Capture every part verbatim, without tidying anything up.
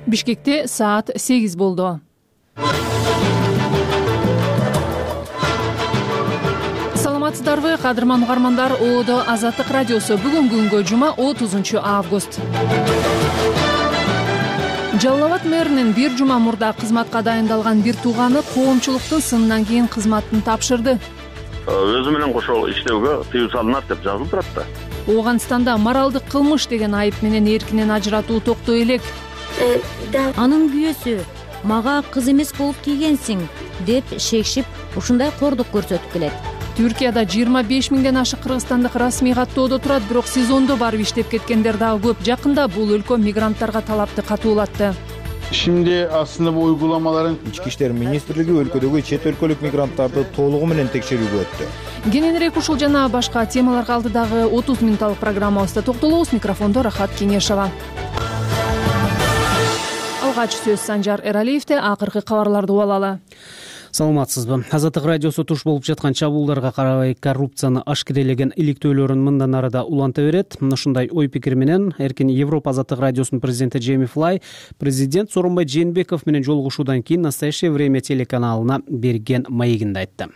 Бишкекте саат сегиз болду. Саламатсыздарбы, кадырман угармандар? Оодо Азаттык радиосу. Бүгүнкү күнгө жума отузунчу август. Жалал Абад мэринин бир жума мурда кызматка дайындалган бир тууганы коомчулуктун сынынан кийин кызматын тапшырды. Өзү менен кошо иштөөгө тыюу салынат деп жазылып турат да. Ооганстанда моралдык кылмыш деген айып менен эркинен ажыратуу токтой элек. Анын күйөөсү мага кыз эмес болуп кийгенсиң деп шекшип ушундай кордук көрсөтүп келет. Түркияда жыйырма беш миңден ашык кыргызстандык расмий каттоодо турат, бирок сезондо барып иштеп кеткендер дагы көп. Жакында бул өлкө мигранттарга талапты катуулатты. Şimdi aslında bu uygulamaların İçki İşler Ministrligi өлкөдөгү чет өлкөлүк мигранттарды толугу менен текшерүүгө өттү. Кененирээк ушул жана башка темаларга алдыдагы отуз мүнөттүк программабызда токтолобуз. Микрофондо Рахат Кеңешова. Алгач сөз Санжар Эралиевде. Акыркы кабарларды угалы. Саламатсызбы. Азаттык радиосу туш болуп жаткан чабуулдарга карабай коррупцияны ашкерелеген иликтөөлөрүн мындан арыда уланта берет. Ушундай ой пикир менен Эркин Европа Азаттык радиосунун президенти Джейми Флай президент Сооронбай Жээнбеков менен жолугушуудан кийин Настоящее время телеканалына берген маегинде айтты.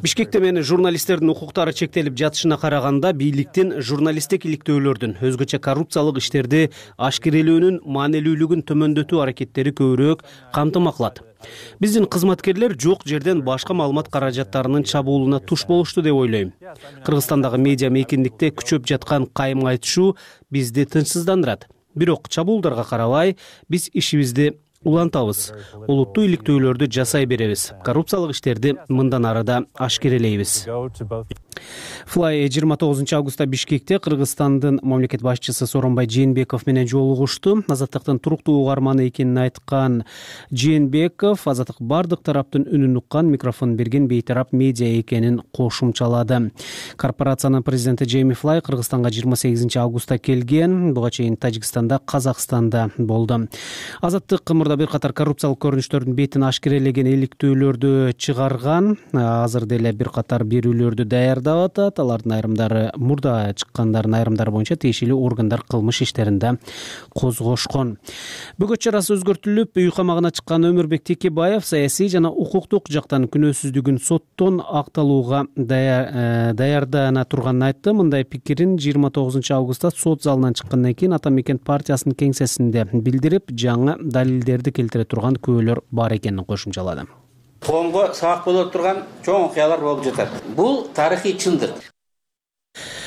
Бишкекте мени журналисттердин укуктары чектелип жатышына караганда бийликтин журналисттик иликтөөлөрдүн, өзгөчө коррупциялык иштерди ашкерелөөнүн маанилүүлүгүн төмөндөтүү аракеттери көбүрөөк камтыма кылат. Биздин кызматкерлер жок жерден башка маалымат каражаттарынын чабуулуна туш болушту деп ойлойм. Кыргызстандагы медиа мейкиндикте күчөп жаткан кайым айтышуу бизди тынчсыздандырат. Бирок чабуулдарга карабай биз ишибизди улантабыз. Олуттуу иликтөөлөрдү жасай беребиз. Коррупциялык иштерди мындан арыда ашкерелейбиз. Флай жыйырма тогузунчу августта Бишкекте Кыргызстандын мамлекет башчысы Сооронбай Жээнбеков менен жолугушту. Азаттыктын туруктуу угарманы экенин айткан Жээнбеков Азаттык бардык тараптын үнүн уккан, микрофон берген бейтарап медиа экенин кошумчалады. Корпорациянын президенти Джейми Флай Кыргызстанга жыйырма сегизинчи августта келген. Буга чейин Тажикстанда, Казакстанда болду. Азаттык мурда бир катар коррупциялык көрүнүштөрдүн бетин ашкерелеген иликтөөлөрдү чыгарган. Азыр деле бир катар берүүлөрдү даярдап атат. Алардын айрымдары мурда чыккандардын айрымдары боюнча тиешелүү органдар кылмыш иштеринде козгошкон. Бөгөт чарасы өзгөртүлүп, үй камагына чыккан Өмүрбек Текебаев саясий жана укуктук жактан күнөөсүздүгүн соттон акталууга даярдана турганын айтты. Мындай пикирин жыйырма тогузунчу августта сот залынан чыккандан кийин Ата Мекен партиясынын кеңсесинде билдирип, жаңы далилдерди келтире турган күбөлөр бар экенин кошумчалады. Коомго сабак боло турган чоң окуялар болуп жатат. Бул тарыхый чындык.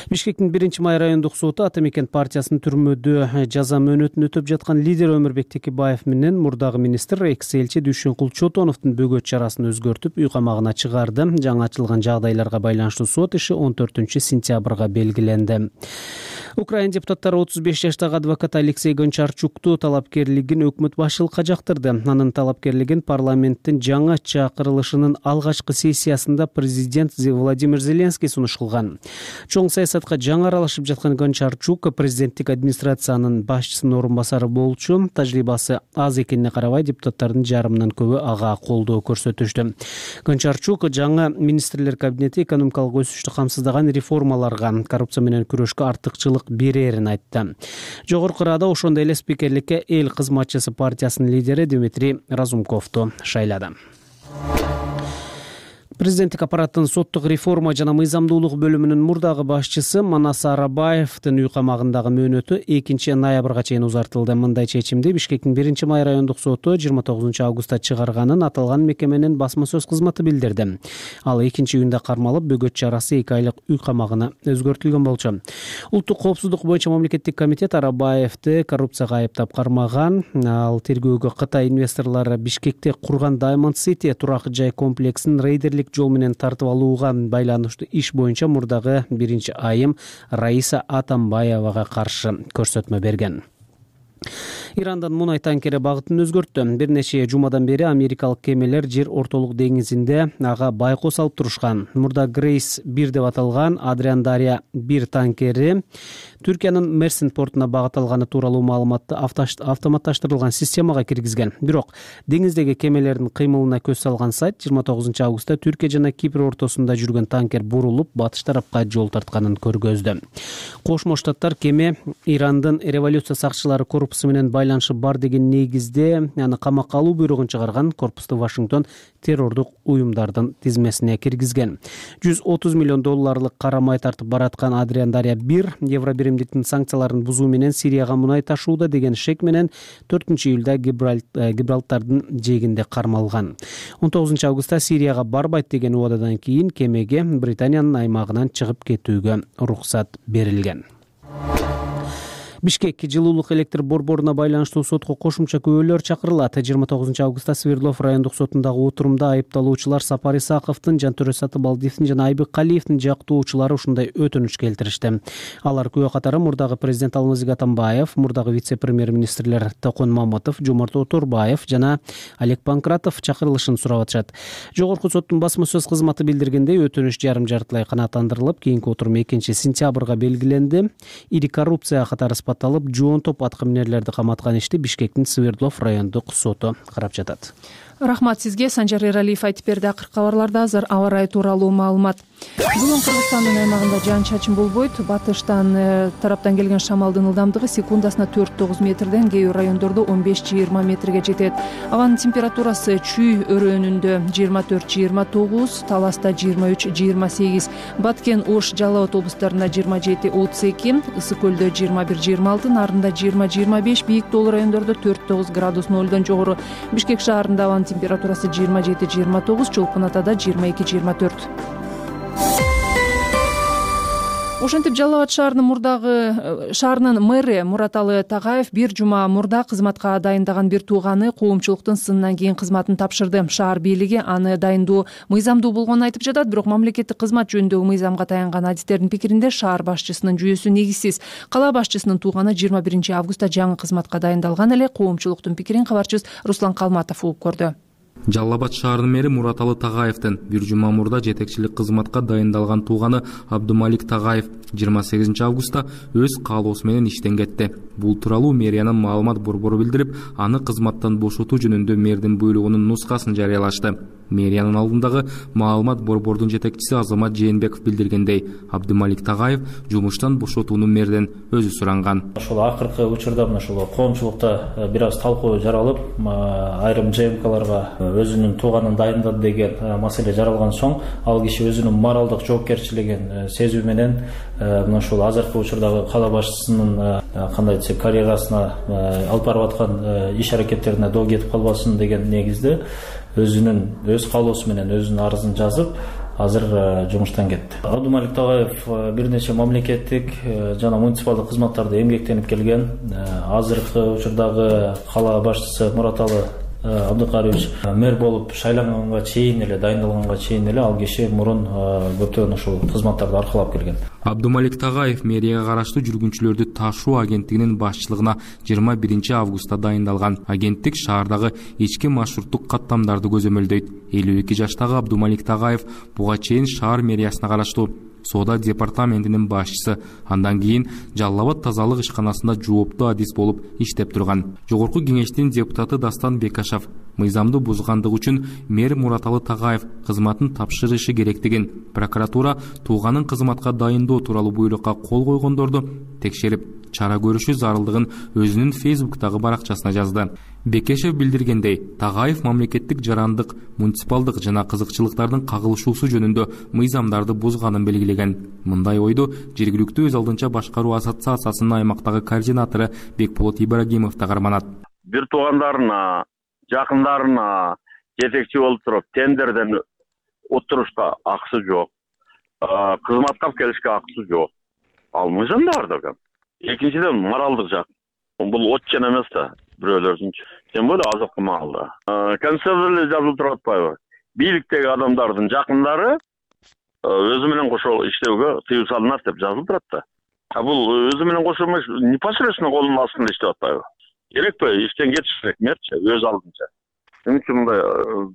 Бишкектин биринчи май райондук соту Ата Мекен партиясынын түрмөдө жаза мөөнөтүн өтөп жаткан лидер Өмүрбек Текебаев менен мурдагы министр экс-элчи Дүйшөнкул Чотоновдун бөгөт чарасын өзгөртүп, үй камагына чыгарды. Жаңы ачылган жагдайларга байланыштуу сот иши он төртүнчү сентябрга белгиленди. Украин депутаттары отуз беш жаштагы адвокат Алексей Гончарчукту талапкерлигин өкмөт башчылыкка жактырды. Анын талапкерлигин парламенттин жаңы чакырылышынын алгачкы сессиясында президент Владимир Зеленский сунуш кылган. Чоң саясатка жаңы аралашып жаткан Гончарчук президенттик администрациянын башчысынын орун басары болчу. Тажрыйбасы аз экенине карабай депутаттардын жарымынан көбү ага колдоо көрсөтүштү. Гончарчук жаңы министрлер кабинети экономикалык өсүштү камсыздаган реформаларга, коррупция менен күрөшкө артыкчылык берерин айтты. Жогорку Рада ошондой эле спикерликке эл кызматчысы партиясынын лидери Дмитрий Разумковду шайлады. Президенттик аппараттын соттук реформа жана мыйзамдуулук бөлүмүнүн мурдагы башчысы Манас Арабаевдин үй камагындагы мөөнөтү экинчи ноябрга чейин узартылды. Мындай чечимди Бишкектин биринчи май райондук соту жыйырма тогузунчу августта чыгарганын аталган мекеменин басма сөз кызматы билдирди. Ал экинчи июнда кармалып, бөгөт чарасы эки айлык үй камагына өзгөртүлгөн болчу. Улуттук коопсуздук боюнча мамлекеттик комитет Арабаевди коррупцияга айыптап кармаган. Ал тергөөгө Кытай инвесторлору Бишкекте курган Diamond City турак жай комплексин рейдерлик жол менен тартып алууга байланыштуу иш боюнча мурдагы биринчи айым Раиса Атамбаевага каршы көрсөтмө берген. Ирандан мунай танкери багытын өзгөрттү. Бир нече жумадан бери америкалык кемелер жер ортолук деңизинде ага байкоо салып турушкан. Мурда Грейс бир деп аталган Адриан Дарья бир танкери Түркиянын Мерсин портуна багыт алганы тууралуу маалыматты автоматташтырылган системага киргизген. Бирок деңиздеги кемелердин кыймылына көз салган сайт жыйырма тогузунчу августта Түркия жана Кипр ортосунда жүргөн танкер бурулуп, батыш тарапка жол тартканын көргөздү. Кошмо Штаттар кеме Ирандын революция сакчылары корпусу менен байланышы бар деген негизде аны камакка алуу буйругун чыгарган корпусту Вашингтон террордук уюмдардын тизмесине киргизген. жүз отуз миллион долларлык карамай тартып бараткан Адриан Дарья бир Евро биримдиктин санкцияларын бузуу менен Сирияга мунай ташууда деген шек менен төртүнчү июлда Гибралтардын жээгинде кармалган. он тогузунчу августта Сирияга барбайт деген убададан кийин кемеге Британиянын аймагынан чыгып кетүүгө уруксат берилген. Бишкек жылуулук электр борборуна байланыштуу сотко кошумча күбөлөр чакырылат. жыйырма тогузунчу августта Свердлов райондук сотундагы отурумда айыпталуучулар Сапар Исаковдун, Жантөре Сатыбалдиевдин жана Айбек Калиевдин жактоочулары ушундай өтүнүч келтиришти. Алар күбө катары мурдагы президент Алмазбек Атамбаев, мурдагы вице-премьер-министрлер Токон Мамытов, Жомарт Оторбаев жана Олег Панкратов чакырылышын сурап атышат. Жогорку соттун басма сөз кызматы билдиргендей, өтүнүч жарым жартылай канааттандырылып, кийинки отурум экинчи сентябрга белгиленди. Ири коррупцияга катары алып жоонтоп аткаминерлерди каматкан ишти Бишкектин Свердлов райондук соту карап жатат. Рахмат сизге. Санжар Эралиев айтып берди. Акыркы кабарларда азыр аба ырайы тууралуу маалымат. Бүгүн Кыргызстандын аймагында жаан чачын болбойт. Батыштан тараптан келген шамалдын ылдамдыгы секундасына төрт тогуз метрден, кээ бир райондордо он беш жыйырма метрге жетет. Абанын температурасы Чүй өрөөнүндө жыйырма төрт жыйырма тогуз, Таласта жыйырма үч жыйырма сегиз, Баткен, Ош, Жалал абад облустарында жыйырма жети отуз эки, Ысык көлдө жыйырма бир жыйырма алты, Нарында жыйырма жыйырма беш, Бийик тоолуу райондордо төрт тогуз градус нолдон жогору. Бишкек шаарында абанын температурасы жыйырма жети жыйырма тогуз, Чолпон Атада жыйырма эки жыйырма төрт. Ошентип Жалал абад шаарынын мурдагы шаарынын мэри Мураталы Тагаев бир жума мурда кызматка дайындаган бир тууганы коомчулуктун сынынан кийин кызматын тапшырды. Шаар бийлиги аны дайындоо мыйзамдуу болгонун айтып жатат, бирок мамлекеттик кызмат жөнүндөгү мыйзамга таянган адистердин пикиринде шаар башчысынын жүйөсү негизсиз. Кала башчысынын тууганы жыйырма биринчи августта жаңы кызматка дайындалган эле. Коомчулуктун пикирин кабарчыбыз Руслан Калматов угуп көрдү. Жалал абад шаарынын мэри Мураталы Тагаевдин бир жума мурда жетекчилик кызматка дайындалган тууганы Абдумалик Тагаев жыйырма сегизинчи августта өз каалоосу менен иштен кетти. Бул тууралуу мэриянын маалымат борбору билдирип, аны кызматтан бошотуу жөнүндө мэрдин буйругунун нускасын жарыялашты. Мэриянын алдындагы маалымат борбордун жетекчиси Азамат Жээнбеков билдиргендей, Абдумалик Тагаев жумуштан бошотууну мэрден өзү суранган. Ошол акыркы учурда мына ошол коомчулукта бир аз талкуу жаралып, айрым ЖМКларга өзүнүн тууганын дайындады деген маселе жаралган соң, ал киши өзүнүн моралдык жоопкерчилигин сезүү менен мына ушул азыркы учурдагы кала башчысынын кандай десек карьерасына алып барып аткан иш аракеттерине доо кетип калбасын деген негизде өзүнүн өз каалоосу менен өзүнүн арызын жазып, азыр жумуштан кетти. Абдумалик Тагаев бир нече мамлекеттик жана муниципалдык кызматтарда эмгектенип келген. Азыркы учурдагы кала башчысы Мураталы Абдыкариевич мэр болуп шайланганга чейин эле, дайындалганга чейин эле ал киши мурун көптөгөн ушул кызматтарды аркылап келген. Абдумалик Тагаев мэрияга караштуу жүргүнчүлөрдү ташуу агенттигинин башчылыгына жыйырма биринчи августта дайындалган. Агенттик шаардагы ички маршруттук каттамдарды көзөмөлдөйт. элүү эки жаштагы Абдумалик Тагаев буга чейин шаар мэриясына караштуу соода департаментинин башчысы, андан кийин Жалал абад тазалык ишканасында жооптуу адис болуп иштеп турган. Жогорку кеңештин депутаты Дастан Бекашев мыйзамды бузгандыгы үчүн мэр Мураталы Тагаев кызматын тапшырышы керектигин, прокуратура тууганын кызматка дайындоо тууралуу буйрукка кол койгондорду текшерип, чара көрүшү зарылдыгын өзүнүн Фейсбуктагы баракчасына жазды. Бекешев билдиргендей, Тагаев мамлекеттик жарандык, муниципалдык жана кызыкчылыктардын кагылышуусу жөнүндө мыйзамдарды бузганын белгилеген. Мындай ойду жергиликтүү өз алдынча башкаруу ассоциациясынын аймактагы координатору Бекболот Ибрагимов да карманат. Бир туугандарына, жакындарына жетекчи болуп туруп, тендерден отурушка акысы жок. Кызматка келишке акысы жок. Ал мыйзамда бар да. Экинчиден моралдык жак. Бул отчен эмес да, бирөөлөрдүнчү. Тем более азыркы маалда. Конституцияда жазылып турат атпайбы? Бийликтеги адамдардын жакындары өзү менен кошо иштөөгө тыюу салынат деп жазылып турат да. А бул өзү менен кошо эмес, непосредственно колунун астында иштеп атпайбы? Керекпи? Иштен кетиш керек, мерчи өз алдынча. Эмне үчүн мындай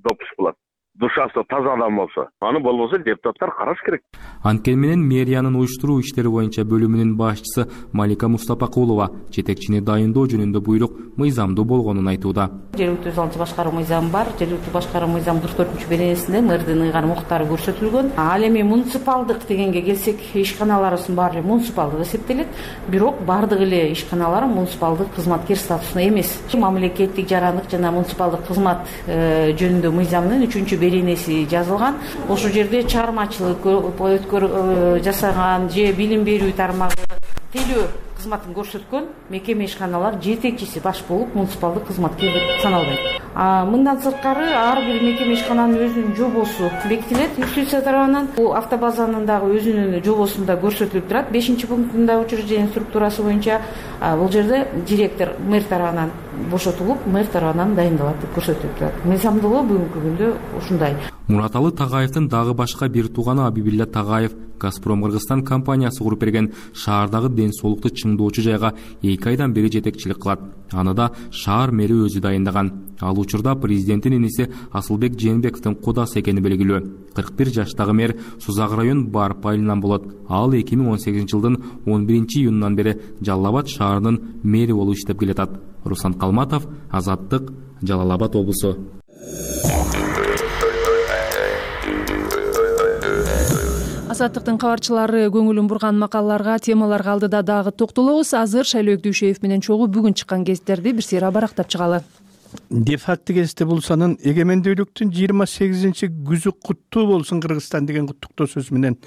допуск кылат? душасы таза адам болсо, аны болбосо депутаттар караш керек. Анткени менен мэриянын уюштуруу иштери боюнча бөлүмүнүн башчысы Малика Мустапакулова жетекчини дайындоо жөнүндө буйрук мыйзамдуу болгонун айтууда. Жергиликтүү өзү алчы башкаруу мыйзамы бар. Жергиликтүү башкаруу мыйзамы кырк төртүнчү беренесинде мэрдин ыйгар укуктары көрсөтүлгөн. Ал эми муниципалдык дегенге келсек, ишканаларыбыздын баары эле муниципалдык эсептелет. Бирок бардык эле ишканалар муниципалдык кызматкер статусунда эмес. Мамлекеттик жарандык жана муниципалдык кызмат жөнүндө мыйзамдын үчүнчү беренеси жазылган. Ошол жерде чыгармачылык өткөр жасаган же билим берүү тармагы телөө кызматын көрсөткөн мекеме ишканалар жетекчиси баш болуп муниципалдык кызматкер деп саналбайт. Мындан сырткары ар бир мекеме ишкананын өзүнүн жобосу бекитилет юстиция тарабынан. Бул автобазанын дагы өзүнүн жобосунда көрсөтүлүп турат. бешинчи пунктунда учреждение структурасы боюнча бул жерде директор мэр тарабынан бошотулуп, мэр тарабынан дайындалат деп көрсөтүлүп турат. Мыйзамдуулугу бүгүнкү күндө ушундай. Мураталы Тагаевдин дагы башка бир тууганы Абибилла Тагаев Газпром Кыргызстан компаниясы куруп берген шаардагы ден соолукту чыңдоочу жайга эки айдан бери жетекчилик кылат. Аны да шаар мэри өзү дайындаган. Ал учурда президенттин иниси Асылбек Жээнбековдун кудасы экени белгилүү. кырк бир жаштагы мэр Сузак район Барп айылынан болот. Ал эки миң он сегизинчи жылдын он биринчи июнунан бери Жалал Абад шаарынын мэри болуп иштеп келатат. Руслан Калматов, Азаттык, Жалал Абад облусу. Азаттыктын кабарчылары көңүлүн бурган макалаларга, темаларга алдыда дагы токтолобуз. Азыр Шайлоо Дүйшеев менен чогуу бүгүн чыккан гезиттерди бир сыйра барактап чыгалы. Де факто гезити булсанын эгемендүүлүктүн жыйырма сегизинчи күзү куттуу болсун Кыргызстан деген куттуктоо сөз менен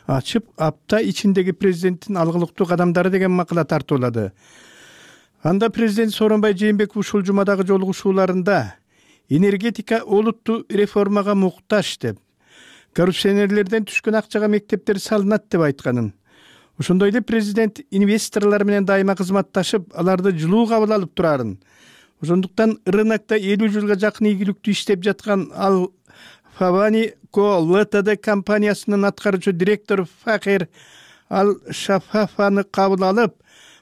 ачып, апта ичиндеги президенттин алгылыктуу кадамдары деген макала тартуулады. Анда президент Сооронбай Жээнбеков ушул жумадагы жолугушууларында энергетика олуттуу реформага муктаж деп, коррупционерлерден түшкөн акчага мектептер салынат деп айтканын. Ошондой эле президент инвесторлор менен дайыма кызматташып, аларды жылуу кабыл алып турарын. Ошондуктан рынокто элүү жылга жакын ийгиликтүү иштеп жаткан ал Фавани Ко ЛТД компаниясынын аткаруучу директору Фахир Ал Шафафаны кабыл алып,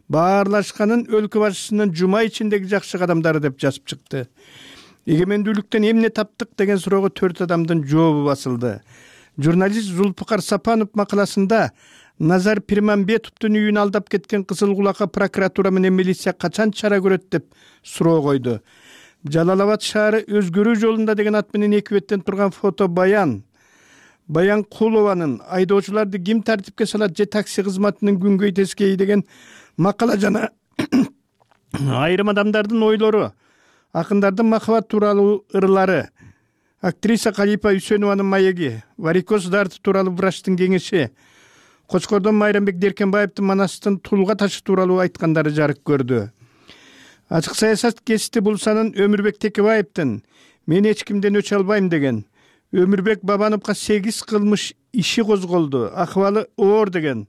баарлашканын өлкө башчысынын жума ичиндеги жакшы кадамдары деп жазып чыкты. Эгемендүүлүктөн эмне таптык деген суроого төрт адамдын жообу басылды. Журналист Зулпукар Сапанов макаласында Назар Пирмамбетовдун үйүн алдап кеткен Кызыл Кулакка прокуратура менен милиция качан чара көрөт деп суроо койду. Жалал Абад шаары өзгөрүү жолунда деген ат менен эки беттен турган фото баян Баян Кулованын айдоочуларды ким тартипке салат же такси кызматынын күнгөй тескейи деген макала жана айрым адамдардын ойлору, акындардын махабат тууралуу ырлары, актриса Калипа Үсөнованын маеги, варикоз дарты тууралуу врачтын кеңеши, Кочкордон Майрамбек Деркенбаевдин Манастын тулга ташы тууралуу айткандары жарык көрдү. Ачык саясат гезити булсанын Өмүрбек Текебаевдин мен эч кимден өч албайм деген, Өмүрбек Бабановго сегиз кылмыш иши козголду, акыбалы оор деген,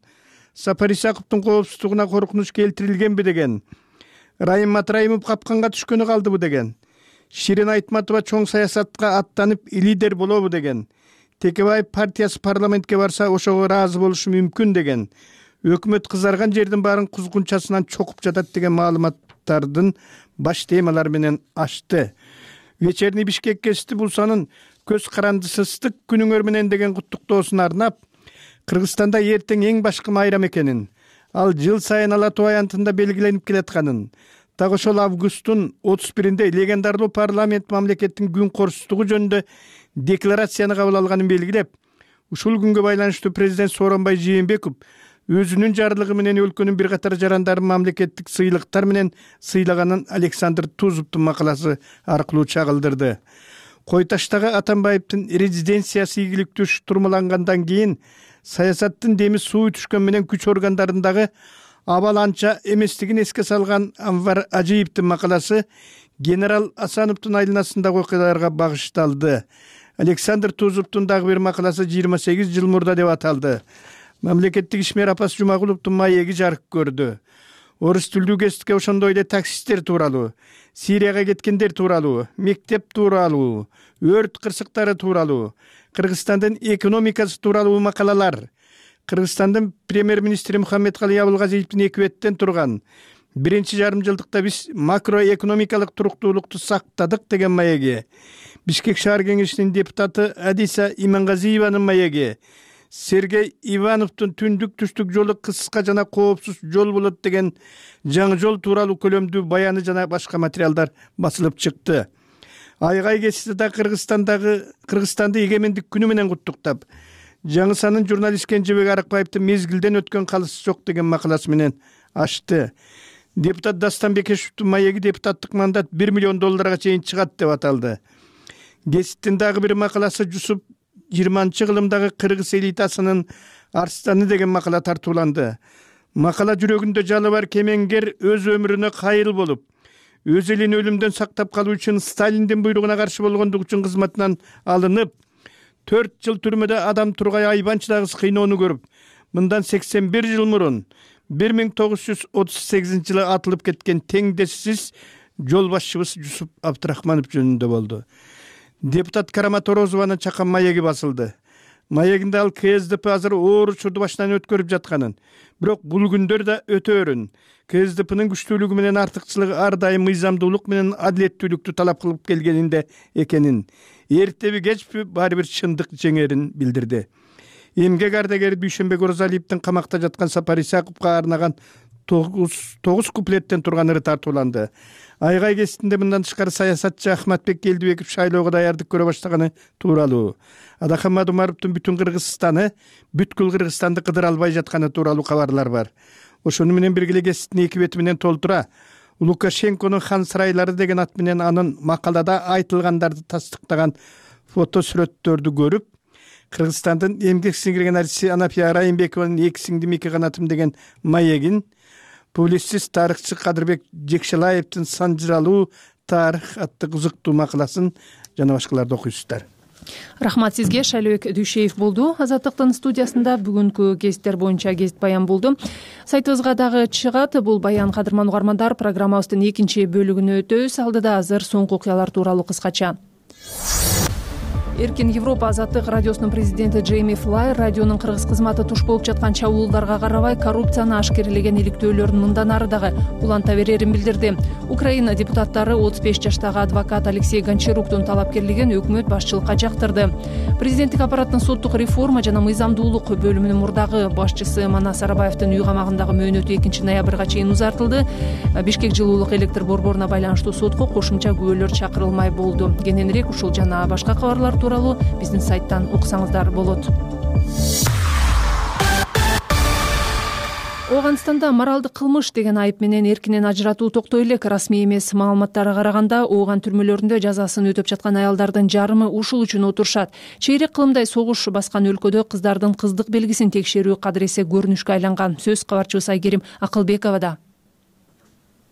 Сапар Исаковдун коопсуздугуна коркунуч келтирилгенби деген, Райым Матраимов капканга түшкөнү калдыбы деген, Ширин Айтматова чоң саясатка аттанып лидер болобу деген, Текебаев партиясы парламентке барса ошого ыраазы болушу мүмкүн деген, өкмөт кызарган жердин баарын кузгунчасынан чокуп жатат деген маалыматтардын баш темалары менен ачты. Вечерний Бишкек гезити булсанын көз карандысыздык күнүңөр менен деген куттуктоосун арнап, Кыргызстанда эртең эң башкы майрам экенин, ал жыл сайын Ала Тоо аянтында белгиленип келатканын, так ошол августтун отуз биринде легендарлуу парламент мамлекеттин күн корсуздугу жөнүндө декларацияны кабыл алганын белгилеп, ушул күнгө байланыштуу президент Сооронбай Жээнбеков өзүнүн жарлыгы менен өлкөнүн бир катар жарандарын мамлекеттик сыйлыктар менен сыйлаганын Александр Тузовдун макаласы аркылуу чагылдырды. Кой таштагы Атамбаевдин резиденциясы ийгиликтүү штурмалангандан кийин саясаттын деми суу түшкөн менен күч органдарындагы абал анча эместигин эске салган Анвар Ажиевдин макаласы генерал Асановдун айланасындагы окуяларга багышталды. Александр Тузовдун дагы бир макаласы жыйырма сегиз жыл мурда деп аталды. Мамлекеттик ишмер Апас Жумагуловдун маеги жарык көрдү. Орус тилдүү гезитке ошондой эле таксисттер тууралуу, Сирияга кеткендер тууралуу, мектеп тууралуу, өрт кырсыктары тууралуу, Кыргызстандын экономикасы тууралуу макалалар, Кыргызстандын премьер-министри Мухаммедкалый Абылгазиевдин эки беттен турган биринчи жарым жылдыкта биз макроэкономикалык туруктуулукту сактадык деген маеги, Бишкек шаар кеңешинин депутаты Адиса Имангазиеванын маеги, Сергей Ивановдун түндүк түштүк жолу кыска жана коопсуз жол болот деген жаңы жол тууралуу көлөмдүү баяны жана башка материалдар басылып чыкты. Айгай кести да Кыргызстандагы Кыргызстанды эгемендик күнү менен куттуктап, жаңысанын журналист Кенжебек Арыкбаевдин мезгилден өткөн калысы жок деген макаласы менен ачты. Депутат Дастан Бекешевдин маеги депутаттык мандат бир миллион долларга чейин чыгат деп аталды. Гезиттин дагы бир макаласы Жусуп жыйырманчы кылымдагы кыргыз элитасынын арстаны деген макала тартууланды. Макала жүрөгүндө жалы бар кемеңгер өз өмүрүнө кайыл болуп, өз элин өлүмдөн сактап калуу үчүн Сталиндин буйругуна каршы болгондук үчүн кызматынан алынып, төрт жыл түрмөдө адам тургай айбанчыдагы кыйноону көрүп, мындан сексен бир жыл мурун бир миң тогуз жүз отуз сегизинчи жылы атылып кеткен теңдессиз жол башчыбыз Жусуп Абдрахманов жөнүндө болду. Депутат Карама Торозованын чакан маеги басылды. Маегинде ал КСДП азыр оор учурду башынан өткөрүп жатканын, бирок бул күндөр да өтөөрүн, КСДПнын күчтүүлүгү менен артыкчылыгы ар дайым мыйзамдуулук менен адилеттүүлүктү талап кылып келгенинде экенин, эртеби кечпи баары бир чындык жеңерин билдирди. Эмгек ардагери Дүйшөнбек Оразалиевдин камакта жаткан Сапар Исаковго арнаган тогуз куплеттен турган ыры тартууланды. Айгай кеситинде мындан тышкары саясатчы Ахматбек Келдибеков шайлоого даярдык көрө баштаганы тууралуу, Адахан Мадумаровдун бүтүн Кыргызстаны, бүткүл Кыргызстанды кыдыра албай жатканы тууралуу кабарлар бар. Ошону менен бирге эле кеситтин эки бети менен толтура Лукашенконун хан сарайлары деген ат менен анын макалада айтылгандарды тастыктаган фото сүрөттөрдү көрүп, Кыргызстандын эмгек сиңирген артисти Анапия Райымбекованын эки сиңдим эки канатым деген маегин, публицист тарыхчы Кадырбек Жекшелаевдин санжыралуу тарых аттуу кызыктуу макаласын жана башкаларды окуйсуздар. Рахмат сизге. Шайлообек Дүйшеев болду. Азаттыктын студиясында бүгүнкү гезиттер боюнча гезит баян болду. Сайтыбызга дагы чыгат бул баян. Кадырман угармандар, программабыздын экинчи бөлүгүнө өтөбүз. Алдыда азыр соңку окуялар тууралуу кыскача. Эркин Европа Азаттык радиосунун президенти Джейми Флай радионун кыргыз кызматы туш болуп жаткан чабуулдарга карабай коррупцияны ашкерелеген иликтөөлөрүн мындан ары дагы уланта берерин билдирди. Украина депутаттары отуз беш жаштагы адвокат Алексей Гончаруктун талапкерлигин өкмөт башчылыкка жактырды. Президенттик аппараттын соттук реформа жана мыйзамдуулук бөлүмүнүн мурдагы башчысы Манас Арабаевдин үй камагындагы мөөнөтү экинчи ноябрга чейин узартылды. Бишкек жылуулук электр борборуна байланыштуу сотко кошумча күбөлөр чакырылмай болду. Кененирээк ушул жана башка кабарлар тууралуу биздин сайттан уксаңыздар болот. Ооганстанда моралдык кылмыш деген айып менен эркинен ажыратуу токтой элек. Расмий эмес маалыматтарга караганда, Ооган түрмөлөрүндө жазасын өтөп жаткан аялдардын жарымы ушул үчүн отурушат. Чейрек кылымдай согуш баскан өлкөдө кыздардын кыздык белгисин текшерүү кадыресе көрүнүшкө айланган. Сөз кабарчыбыз Айгерим Акылбековада.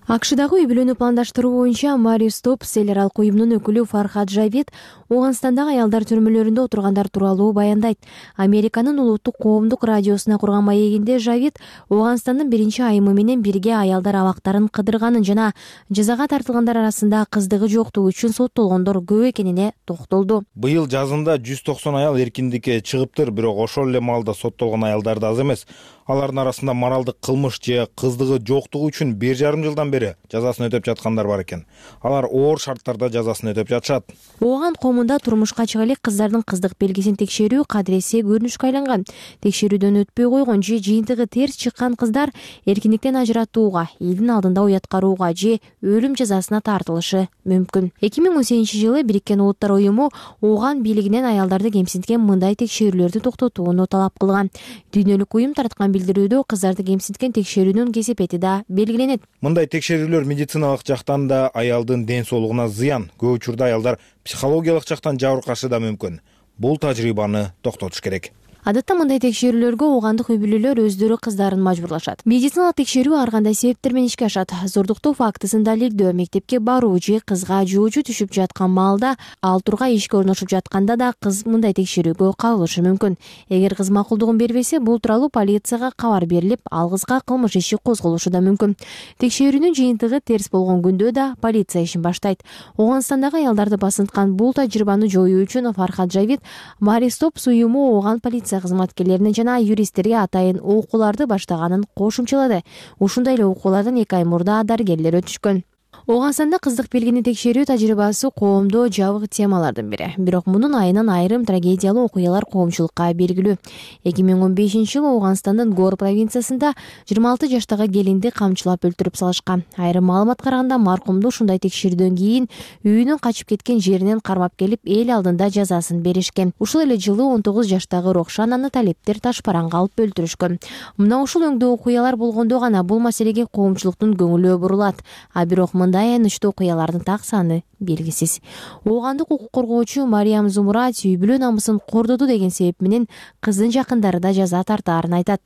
АКШдагы үй бүлөнү пландаштыруу боюнча Мари Стопс эл аралык уюмунун өкүлү Фархад Жавид Ооганстандагы аялдар түрмөлөрүндө отургандар тууралуу баяндайт. Американын улуттук коомдук радиосуна курган маегинде Жавид Ооганстандын биринчи айымы менен бирге аялдар абактарын кыдырганын жана жазага тартылгандар арасында кыздыгы жоктугу үчүн соттолгондор көп экенине токтолду. Быйыл жазында жүз токсон аял эркиндикке чыгыптыр, бирок ошол эле маалда соттолгон аялдар да аз эмес. Алардын арасында моралдык кылмыш же кыздыгы жоктугу үчүн бир жарым жылдан бери жазасын өтөп жаткандар бар экен. Алар оор шарттарда жазасын өтөп жатышат. Ооган коомунда турмушка чыга элек кыздардын кыздык белгисин текшерүү кадыресе көрүнүшкө айланган. Текшерүүдөн өтпөй койгон же жыйынтыгы терс чыккан кыздар эркиндиктен ажыратууга, элдин алдында уяткарууга же өлүм жазасына тартылышы мүмкүн. эки миң он сегизинчи жылы Бириккен Улуттар уюму Ооган бийлигинен аялдарды кемсинткен мындай текшерүүлөрдү токтотууну талап кылган. Дүйнөлүк уюм тарткан билдирүүдө кыздарды кемсинткен текшерүүнүн кесепети да белгиленет. Мындай текшерүүлөр медициналык жактан да аялдын ден соолугуна зыян, көп учурда аялдар психологиялык жактан жабыркашы да мүмкүн. Бул тажрыйбаны токтотуш керек. Адатта мындай текшерүүлөргө оогандык үй бүлөлөр өздөрү кыздарын мажбурлашат. Медициналык текшерүү ар кандай себептер менен ишке ашат. Зордуктоо фактысын далилдөө, мектепке баруу же кызга жуучу түшүп жаткан маалда ал тургай ишке орношуп жатканда да кыз мындай текшерүүгө кабылышы мүмкүн. Эгер кыз макулдугун бербесе, бул тууралуу полицияга кабар берилип, ал кызга кылмыш иши козголушу да мүмкүн. Текшерүүнүн жыйынтыгы терс болгон күндө да полиция ишин баштайт. Ооганстандагы аялдарды басынткан бул тажрыйбаны жоюу үчүн Фархад Жавид Мари Стопс уюму Ооган полиция полиция кызматкерлерине жана юристтерге атайын окууларды баштаганын кошумчалады. Ушундай эле окуулардан эки ай мурда дарыгерлер өтүшкөн. Ооганстанда кыздык белгини текшерүү тажрыйбасы коомдо жабык темалардын бири. Бирок мунун айынан айрым трагедиялуу окуялар коомчулукка белгилүү. эки миң он бешинчи жылы Ооганстандын Гор провинциясында жыйырма алты жаштагы келинди камчылап өлтүрүп салышкан. Айрым маалымат караганда маркумду ушундай текшерүүдөн кийин үйүнөн качып кеткен жеринен кармап келип эл алдында жазасын беришкен. Ушул эле жылы он тогуз жаштагы Рокшананы талептер ташпаранга алып өлтүрүшкөн. Мына ушул өңдүү окуялар болгондо гана бул маселеге коомчулуктун көңүлү бурулат. А бирок мындай аянычтуу окуялардын так саны белгисиз. Оогандык укук коргоочу Мариям Зумурат үй бүлө намысын кордоду деген себеп менен кыздын жакындары да жаза тартаарын айтат.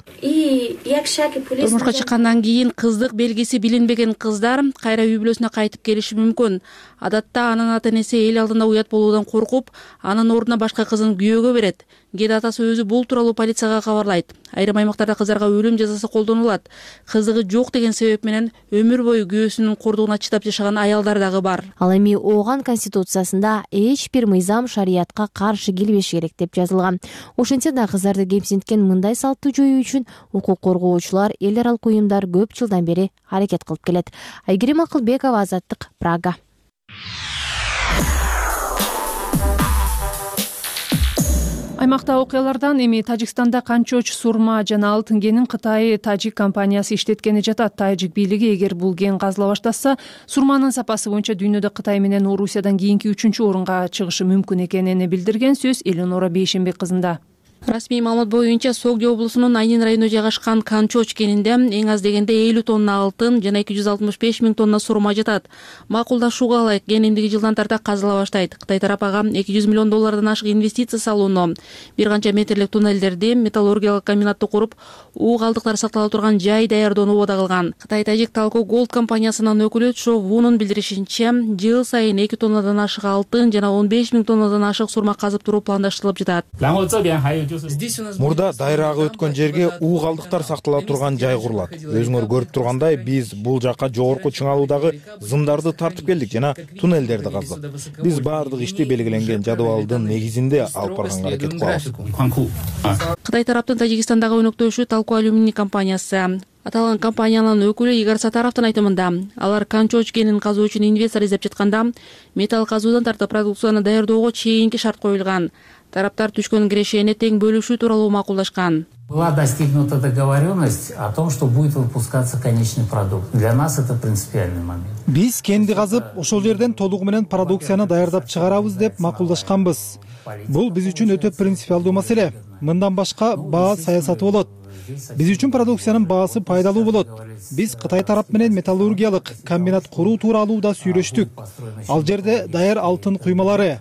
Турмушка чыккандан кийин кыздык белгиси билинбеген кыздар кайра үй бүлөсүнө кайтып келиши мүмкүн. Адатта анын ата энеси эл алдында уят болуудан коркуп, анын ордуна башка кызын күйөөгө берет. Кээде атасы өзү бул тууралуу полицияга кабарлайт. Айрым аймактарда кыздарга өлүм жазасы колдонулат. Кыздыгы жок деген себеп менен өмүр бою күйөөсүнүн кордугуна чыдап жашаган аялдар дагы бар. Ал эми Ооган конституциясында эч бир мыйзам шариятка каршы келбеши керек деп жазылган. Ошентсе да кыздарды кемсинткен мындай салтты жоюу үчүн укук коргоочулар, эл аралык уюмдар көп жылдан бери аракет кылып келет. Айгерим Акылбекова, Азаттык, Прага. Аймакта окуялардан эми Тажикстанда Канчоч сурма жана алтын кенин Кытай Тажик компаниясы иштеткени жатат. Тажик бийлиги эгер бул кен казыла баштаса, сурманын сапасы боюнча дүйнөдө Кытай менен Орусиядан кийинки үчүнчү орунга чыгышы мүмкүн экенин билдирген. Сөз Эленора Бейшенбек кызында. Расмий маалымат боюнча Согди облусунун Айнин районунда жайгашкан Канчоч кенинде эң аз дегенде элүү тонна алтын жана эки жүз алтымыш беш миң тонна сурма жатат. Макулдашууга ылайык кен эмдиги жылдан тарта казыла баштайт. Кытай тарап ага эки жүз миллион доллардан ашык инвестиция салууну, бир канча метрлик туннелдерди, металлургиялык комбинатты куруп, уу калдыктары сактала турган жай даярдоону убада кылган. Кытай Тажик Талко Голд компаниясынын өкүлү Чо Вунун билдиришинче, жыл сайын эки тоннадан ашык алтын жана он беш миң тоннадан ашык сурма казып туруу пландаштырылып жатат. Мурда дайрагы өткөн жерге уу калдыктар сактала турган жай курулат. Өзүңөр көрүп тургандай, биз бул жакка жогорку чыңалуудагы зымдарды тартып келдик жана туннелдерди каздык. Биз баардык ишти белгиленген жадыбалдын негизинде алып барганга аракет кылабыз. Кытай тараптын Тажикстандагы өнөктөшү Талко алюминий компаниясы. Аталган компаниянын өкүлү Игорь Сатаровдун айтымында, алар Канчоч кенин казуу үчүн инвестор издеп жатканда, металл казуудан тартып продукцияны даярдоого чейинки шарт коюлган. Тараптар түшкөн кирешени тең бөлүшүү тууралуу макулдашкан. Была достигнута договоренность о том, что будет выпускаться конечный продукт. Для нас это принципиальный момент. Биз кенди казып, ошол жерден толугу менен продукцияны даярдап чыгарабыз деп макулдашканбыз. Бул биз үчүн өтө принципиалдуу маселе. Мындан башка баа саясаты болот. Биз үчүн продукциянын баасы пайдалуу болот. Биз Кытай тарап менен металлургиялык комбинат куруу тууралуу да сүйлөштүк. Ал жерде даяр алтын куймалары,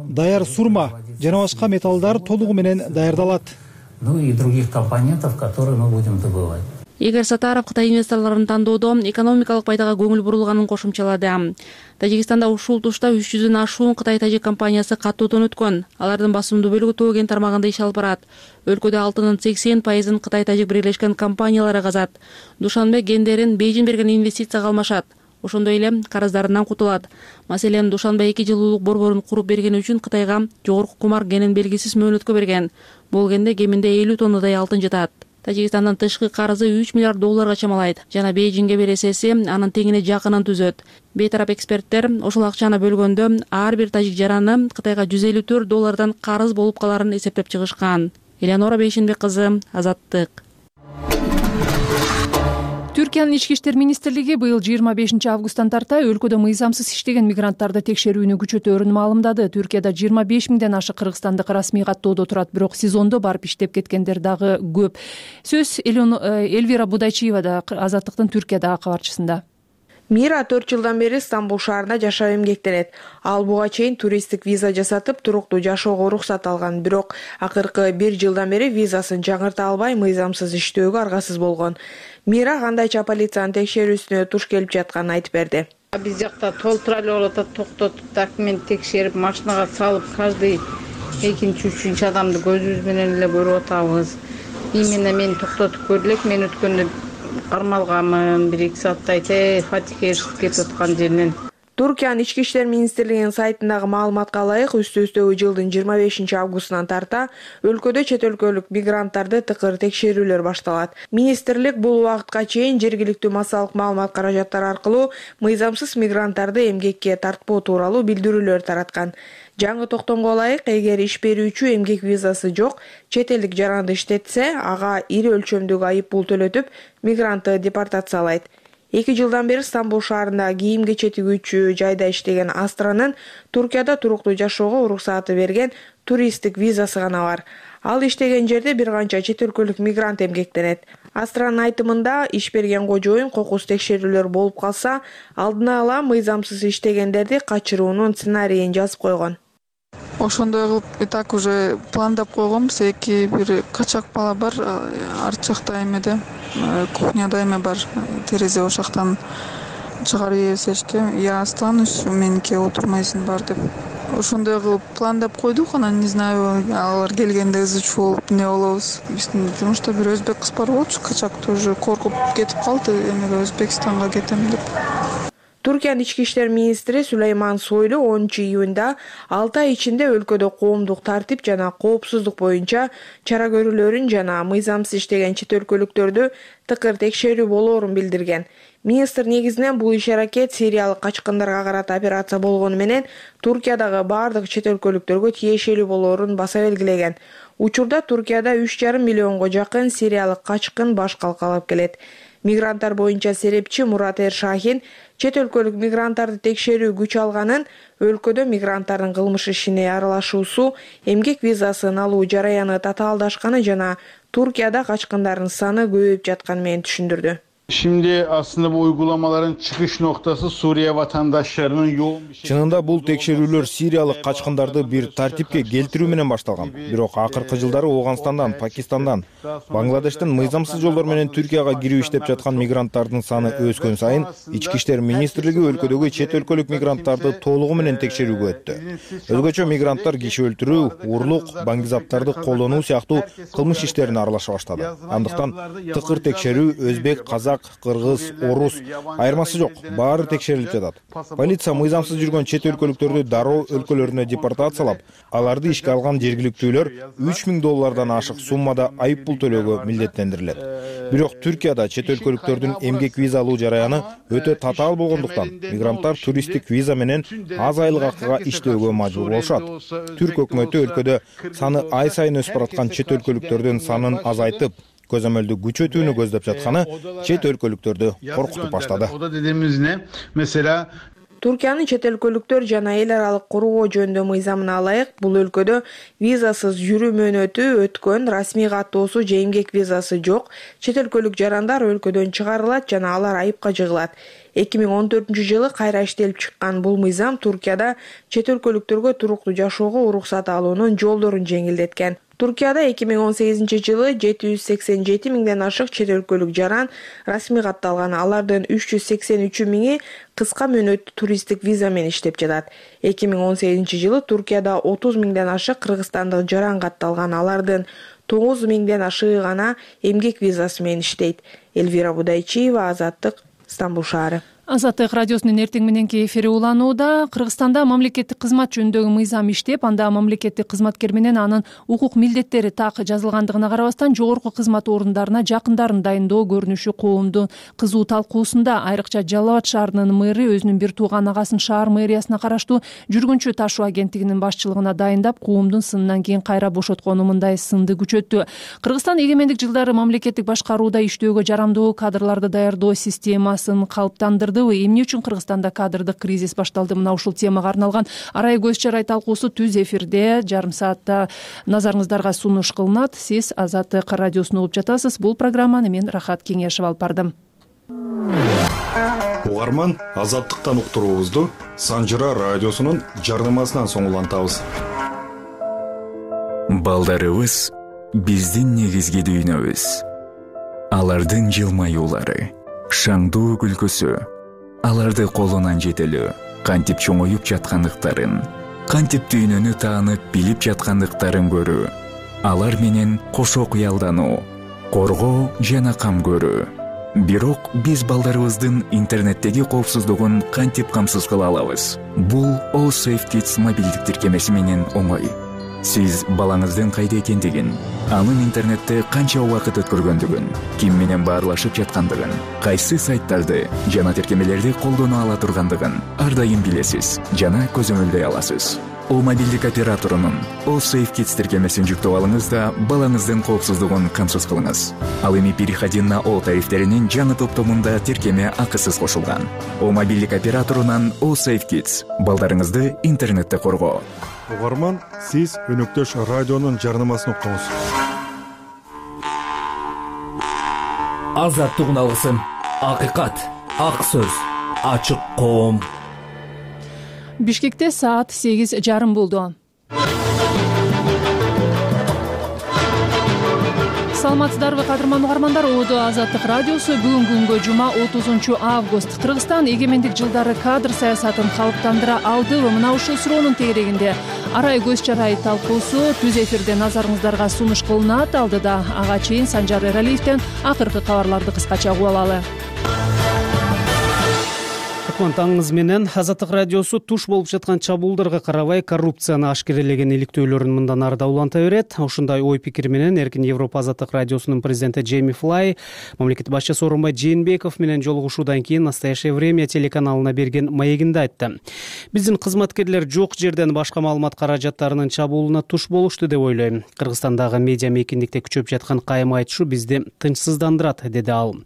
даяр сурма жана башка металлдар толугу менен даярдалат. Ну и других компонентов, которые мы будем добывать. Игорь Сатаров Кытай инвесторлорун тандоодо экономикалык пайдага көңүл бурулганын кошумчалады. Тажикстанда ушул тушта үч жүздөн ашуун Кытай Тажик компаниясы каттоодон өткөн. Алардын басымдуу бөлүгү Тоо кен тармагында иш алып барат. Өлкөдө алтынын сексен пайызын Кытай Тажик бирлешкен компаниялары казат. Душанбе кендерин Бейжин берген инвестицияга алмашат. Ошондой эле карыздарынан кутулат. Маселен, Душанбе эки жылуулук борборун куруп бергени үчүн Кытайга жогорку кумар кенин белгисиз мөөнөткө берген. Бул кенде кеминде элүү тоннадай алтын жатат. Тажикстандын тышкы карызы үч миллиард долларга чамалайт. Жана Бейжинге бересеси анын теңине жакынын түзөт. Бейтарап эксперттер ошол акчаны бөлгөндө ар бир тажик жараны Кытайга жүз элүү төрт доллардан карыз болуп каларын эсептеп чыгышкан. Эленора Бейшенбек кызы, Азаттык. Түркиянын ички иштер министрлиги быйыл жыйырма бешинчи августтан тарта өлкөдө мыйзамсыз иштеген мигранттарды текшерүүнү күчөтөөрүн маалымдады. Түркияда жыйырма беш миңден ашык кыргызстандык расмий каттоодо турат, бирок сезондо барып иштеп кеткендер дагы көп. Сөз Элвира Будайчиевада, Азаттыктын Түркиядагы кабарчысында. Мира төрт жылдан бери Стамбул шаарында жашап эмгектенет. Ал буга чейин туристтик виза жасатып, туруктуу жашоого уруксат алган, бирок акыркы бир жылдан бери визасын жаңырта албай мыйзамсыз иштөөгө аргасыз болгон. Мира кандайча полициянын текшерүүсүнө туш келип жатканын айтып берди. Биз жакта толтура эле болуп атат, токтотуп, документ текшерип, машинага салып, каждый экинчи, үчүнчү адамды көзүбүз менен эле көрүп атабыз. Именно мени токтотуп көрүлөк, мен өткөндө кармалганмын, бир эки сааттай те фатихе кетип аткан жеринен. Туркиянын ички иштер министрлигинин сайтындагы маалыматка ылайык, үстү-үстөгү жылдын жыйырма бешинчи августунан тарта өлкөдө чет өлкөлүк мигранттарды тыкыр текшерүүлөр башталат. Министрлик бул убакытка чейин жергиликтүү массалык маалымат каражаттары аркылуу мыйзамсыз мигранттарды эмгекке тартпоо тууралуу билдирүүлөр тараткан. Жаңы токтомго ылайык, эгер иш берүүчү эмгек визасы жок чет элдик жаранды иштетсе, ага ири өлчөмдөгү айып пул төлөтүп, мигрантты депортациялайт. Эки жылдан бери Стамбул шаарында кийим кече тигүүчү жайда иштеген Астранын Туркияда туруктуу жашоого уруксаты берген туристтик визасы гана бар. Ал иштеген жерде бир канча чет өлкөлүк мигрант эмгектенет. Астранын айтымында, иш берген кожоюн кокус текшерүүлөр болуп калса, алдына ала мыйзамсыз иштегендерди качыруунун сценарийин жазып койгон. Ошондой кылып и так уже пландап койгонбуз. Эки бир качак бала бар, арт жакта эмеде, кухняда эме бар, терезе ошактан чыгарып ийесечти. Я останусь, меникиге отурмайсың бар деп. Ошондой кылып пландап койдук, анан не знаю, алар келгенде ызы чуу болуп не болобуз. Биздин жумушта бир өзбек кыз бар болчу, качак тоже коркуп кетип калды, эмеге Өзбекстанга кетем деп. Туркиянын ички иштер министри Сулейман Сойлу онунчу июнда алты ай ичинде өлкөдө коомдук тартип жана коопсуздук боюнча чара көрүүлөрүн жана мыйзамсыз иштеген чет өлкөлүктөрдү тыкыр текшерүү болоорун билдирген. Министр негизинен бул иш-аракет сириялык качкындарга карата операция болгону менен Туркиядагы бардык чет өлкөлүктөргө тиешелүү болоорун баса белгилеген. Учурда Туркияда үч жарым миллионго жакын сириялык качкын баш калкалап келет. Мигранттар боюнча серепчи Мурат Эршахин чет өлкөлүк мигранттарды текшерүү күч алганын, өлкөдө мигранттардын кылмыш ишине аралашуусу, эмгек визасын алуу жараяны татаалдашканы жана Туркияда качкындардын саны көбөйүп жатканы менен түшүндүрдү. Şimdi aslında bu uygulamaların çıkış noktası Suriye vatandaşlarının yoğun bir şey. Чынында бул текшерүүлөр сириялык качкындарды бир тартипке келтирүү менен башталган. Бирок акыркы жылдары Ооганстандан, Пакистандан, Бангладештен мыйзамсыз жолдор менен Түркияга кирүү иштеп жаткан мигранттардын саны өскөн сайын Ички иштер министрлиги өлкөдөгү чет өлкөлүк мигранттарды толугу менен текшерүүгө өттү. Өзгөчө мигранттар киши өлтүрүү, урлук, баңгизаптарды колдонуу сыяктуу кылмыш иштерине аралаша баштады. Андыктан тыкыр текшерүү өзбек, казак, кыргыз, орус айырмасы жок, баары текшерилип жатат. Полиция мыйзамсыз жүргөн чет өлкөлүктөрдү дароо өлкөлөрүнө депортациялап, аларды ишке алган жергиликтүүлөр үч миң доллардан ашык суммада айып пул төлөөгө милдеттендирилет. Бирок Түркияда чет өлкөлүктөрдүн эмгек виза алуу жараяны өтө татаал болгондуктан мигранттар туристтик виза менен аз айлык акыга иштөөгө мажбур болушат. Түрк өкмөтү өлкөдө саны ай сайын өсүп бараткан чет өлкөлүктөрдүн санын азайтып, көзөмөлдү күчөтүүнү көздөп жатканы чет өлкөлүктөрдү коркутуп баштады. O da dediğimiz ne? Mesela Туркиянын чет өлкөлүктөр жана эл аралык кургоо жөнүндө мыйзамына ылайык бул өлкөдө визасыз жүрүү мөөнөтү өткөн, расмий каттоосу же эмгек визасы жок чет өлкөлүк жарандар өлкөдөн чыгарылат жана алар айыпка жыгылат. эки миң он төртүнчү жылы кайра иштелип чыккан бул мыйзам Туркияда чет өлкөлүктөргө туруктуу жашоого уруксат алуунун жолдорун жеңилдеткен. Туркияда эки миң он сегизинчи жылы жети жүз сексен жети миңден ашык чет өлкөлүк жаран расмий катталган. Алардын үч жүз сексен үчү миңи кыска мөөнөттүү туристтик виза менен иштеп жатат. эки миң он сегизинчи жылы Туркияда отуз миңден ашык кыргызстандык жаран катталган. Алардын тогуз миңден ашыгы гана эмгек визасы менен иштейт. Элвира Будайчиева, Азаттык, Стамбул шаары. Азаттык радиосунун эртең мененки эфири уланууда. Кыргызстанда мамлекеттик кызмат жөнүндөгү мыйзам иштеп, анда мамлекеттик кызматкер менен анын укук милдеттери так жазылгандыгына карабастан жогорку кызмат орундарына жакындарын дайындоо көрүнүшү коомдун кызуу талкуусунда. Айрыкча Жалал Абад шаарынын мэри өзүнүн бир тууган агасын шаар мэриясына караштуу жүргүнчү ташуу агенттигинин башчылыгына дайындап, коомдун сынынан кийин кайра бошоткону мындай сынды күчөттү. Кыргызстан эгемендик жылдары мамлекеттик башкарууда иштөөгө жарамдуу кадрларды даярдоо системасын калыптандырды. Эмне үчүн Кыргызстанда кадрдык кризис башталды? Мына ушул темага арналган арай көз чарай талкуусу түз эфирде жарым саатта назарыңыздарга сунуш кылынат. Сиз Азаттык радиосун угуп жатасыз. Бул программаны мен Рахат Кеңешев алып бардым. Угарман, Азаттыктан уктуруубузду Санжыра радиосунун жарнамасынан соң улантабыз. Балдарыбыз биздин негизги дүйнөбүз. Алардын жылмаюулары, шаңдуу күлкүсү, аларды колунан жетелөө, кантип чоңоюп жаткандыктарын, кантип дүйнөнү таанып билип жаткандыктарын көрүү, алар менен кошо кыялдануу, коргоо жана кам көрүү. бирок биз балдарыбыздын интернеттеги коопсуздугун кантип камсыз кыла алабыз? Бул All Safe Kids мобилдик тиркемеси менен оңой. Сиз балаңыздын кайда экендигин, анын интернетте канча убакыт өткөргөндүгүн, ким менен баарлашып жаткандыгын, кайсы сайттарды жана тиркемелерди колдоно ала тургандыгын ар дайым билесиз жана көзөмөлдөй аласыз. О мобилдик операторунун All Safe Kids тиркемесин жүктөп алыңыз да балаңыздын коопсуздугун камсыз кылыңыз. Ал эми переходи на О тарифтеринин жаңы топтомунда тиркеме акысыз кошулган. О мобилдик операторунан All Safe Kids балдарыңызды интернетте коргоо. Угарман, сиз өнөктөш радионун жарнамасын уктуңуз. Азаттык алгысым, акыйкат, ак сөз, ачык коом. Бишкекте саат сегиз жарым болду. Саламатсыздарбы кадырман угармандар, Одо Азаттык радиосу бүгүнкү күнгө жума отузунчу август. Кыргызстан эгемендик жылдары кадр саясатын калыптандыра алдыбы? Мына ушул суроонун тегерегинде арай көз чарай талкуусу түз эфирде назарыңыздарга сунуш кылынат. Алдыда ага чейин Санжар Эралиевден акыркы кабарларды кыскача угуп алалы. Таңыңыз менен Азаттык радиосу туш болуп жаткан чабуулдарга карабай коррупцияны ашкерелеген иликтөөлөрүн мындан ары да уланта берет. Ушундай ой пикир менен Эркин Европа Азаттык радиосунун президенти Джейми Флай мамлекет башчысы Сооронбай Жээнбеков менен жолугушуудан кийин Настоящее время телеканалына берген маегинде айтты. Биздин кызматкерлер жок жерден башка маалымат каражаттарынын чабуулуна туш болушту деп ойлойм. Кыргызстандагы медиа мейкиндикте күчөп жаткан кайым айтышу бизди тынчсыздандырат, деди ал.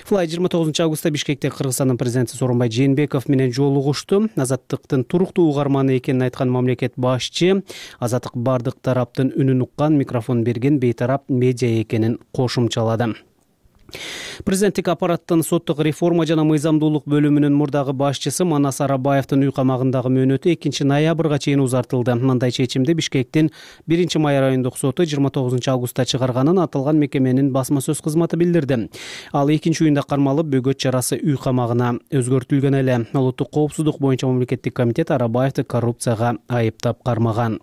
Флай жыйырма тогузунчу августта Бишкекте Кыргызстандын президенти Сооронбай Жээнбеков менен жолугушту. Азаттыктын туруктуу угарманы экенин айткан мамлекет башчы Азаттык бардык тараптын үнүн уккан, микрофон берген бейтарап медиа экенин кошумчалады. Президенттик аппараттын соттук реформа жана мыйзамдуулук бөлүмүнүн мурдагы башчысы Манас Арабаевдин үй камагындагы мөөнөтү экинчи ноябрга чейин узартылды. Мындай чечимди Бишкектин биринчи май райондук соту жыйырма тогузунчу августта чыгарганын аталган мекеменин басма сөз кызматы билдирди. Ал экинчи уюнда кармалып, бөгөт чарасы үй камагына өзгөртүлгөн эле. Улуттук коопсуздук боюнча мамлекеттик комитет Арабаевди коррупцияга айыптап кармаган.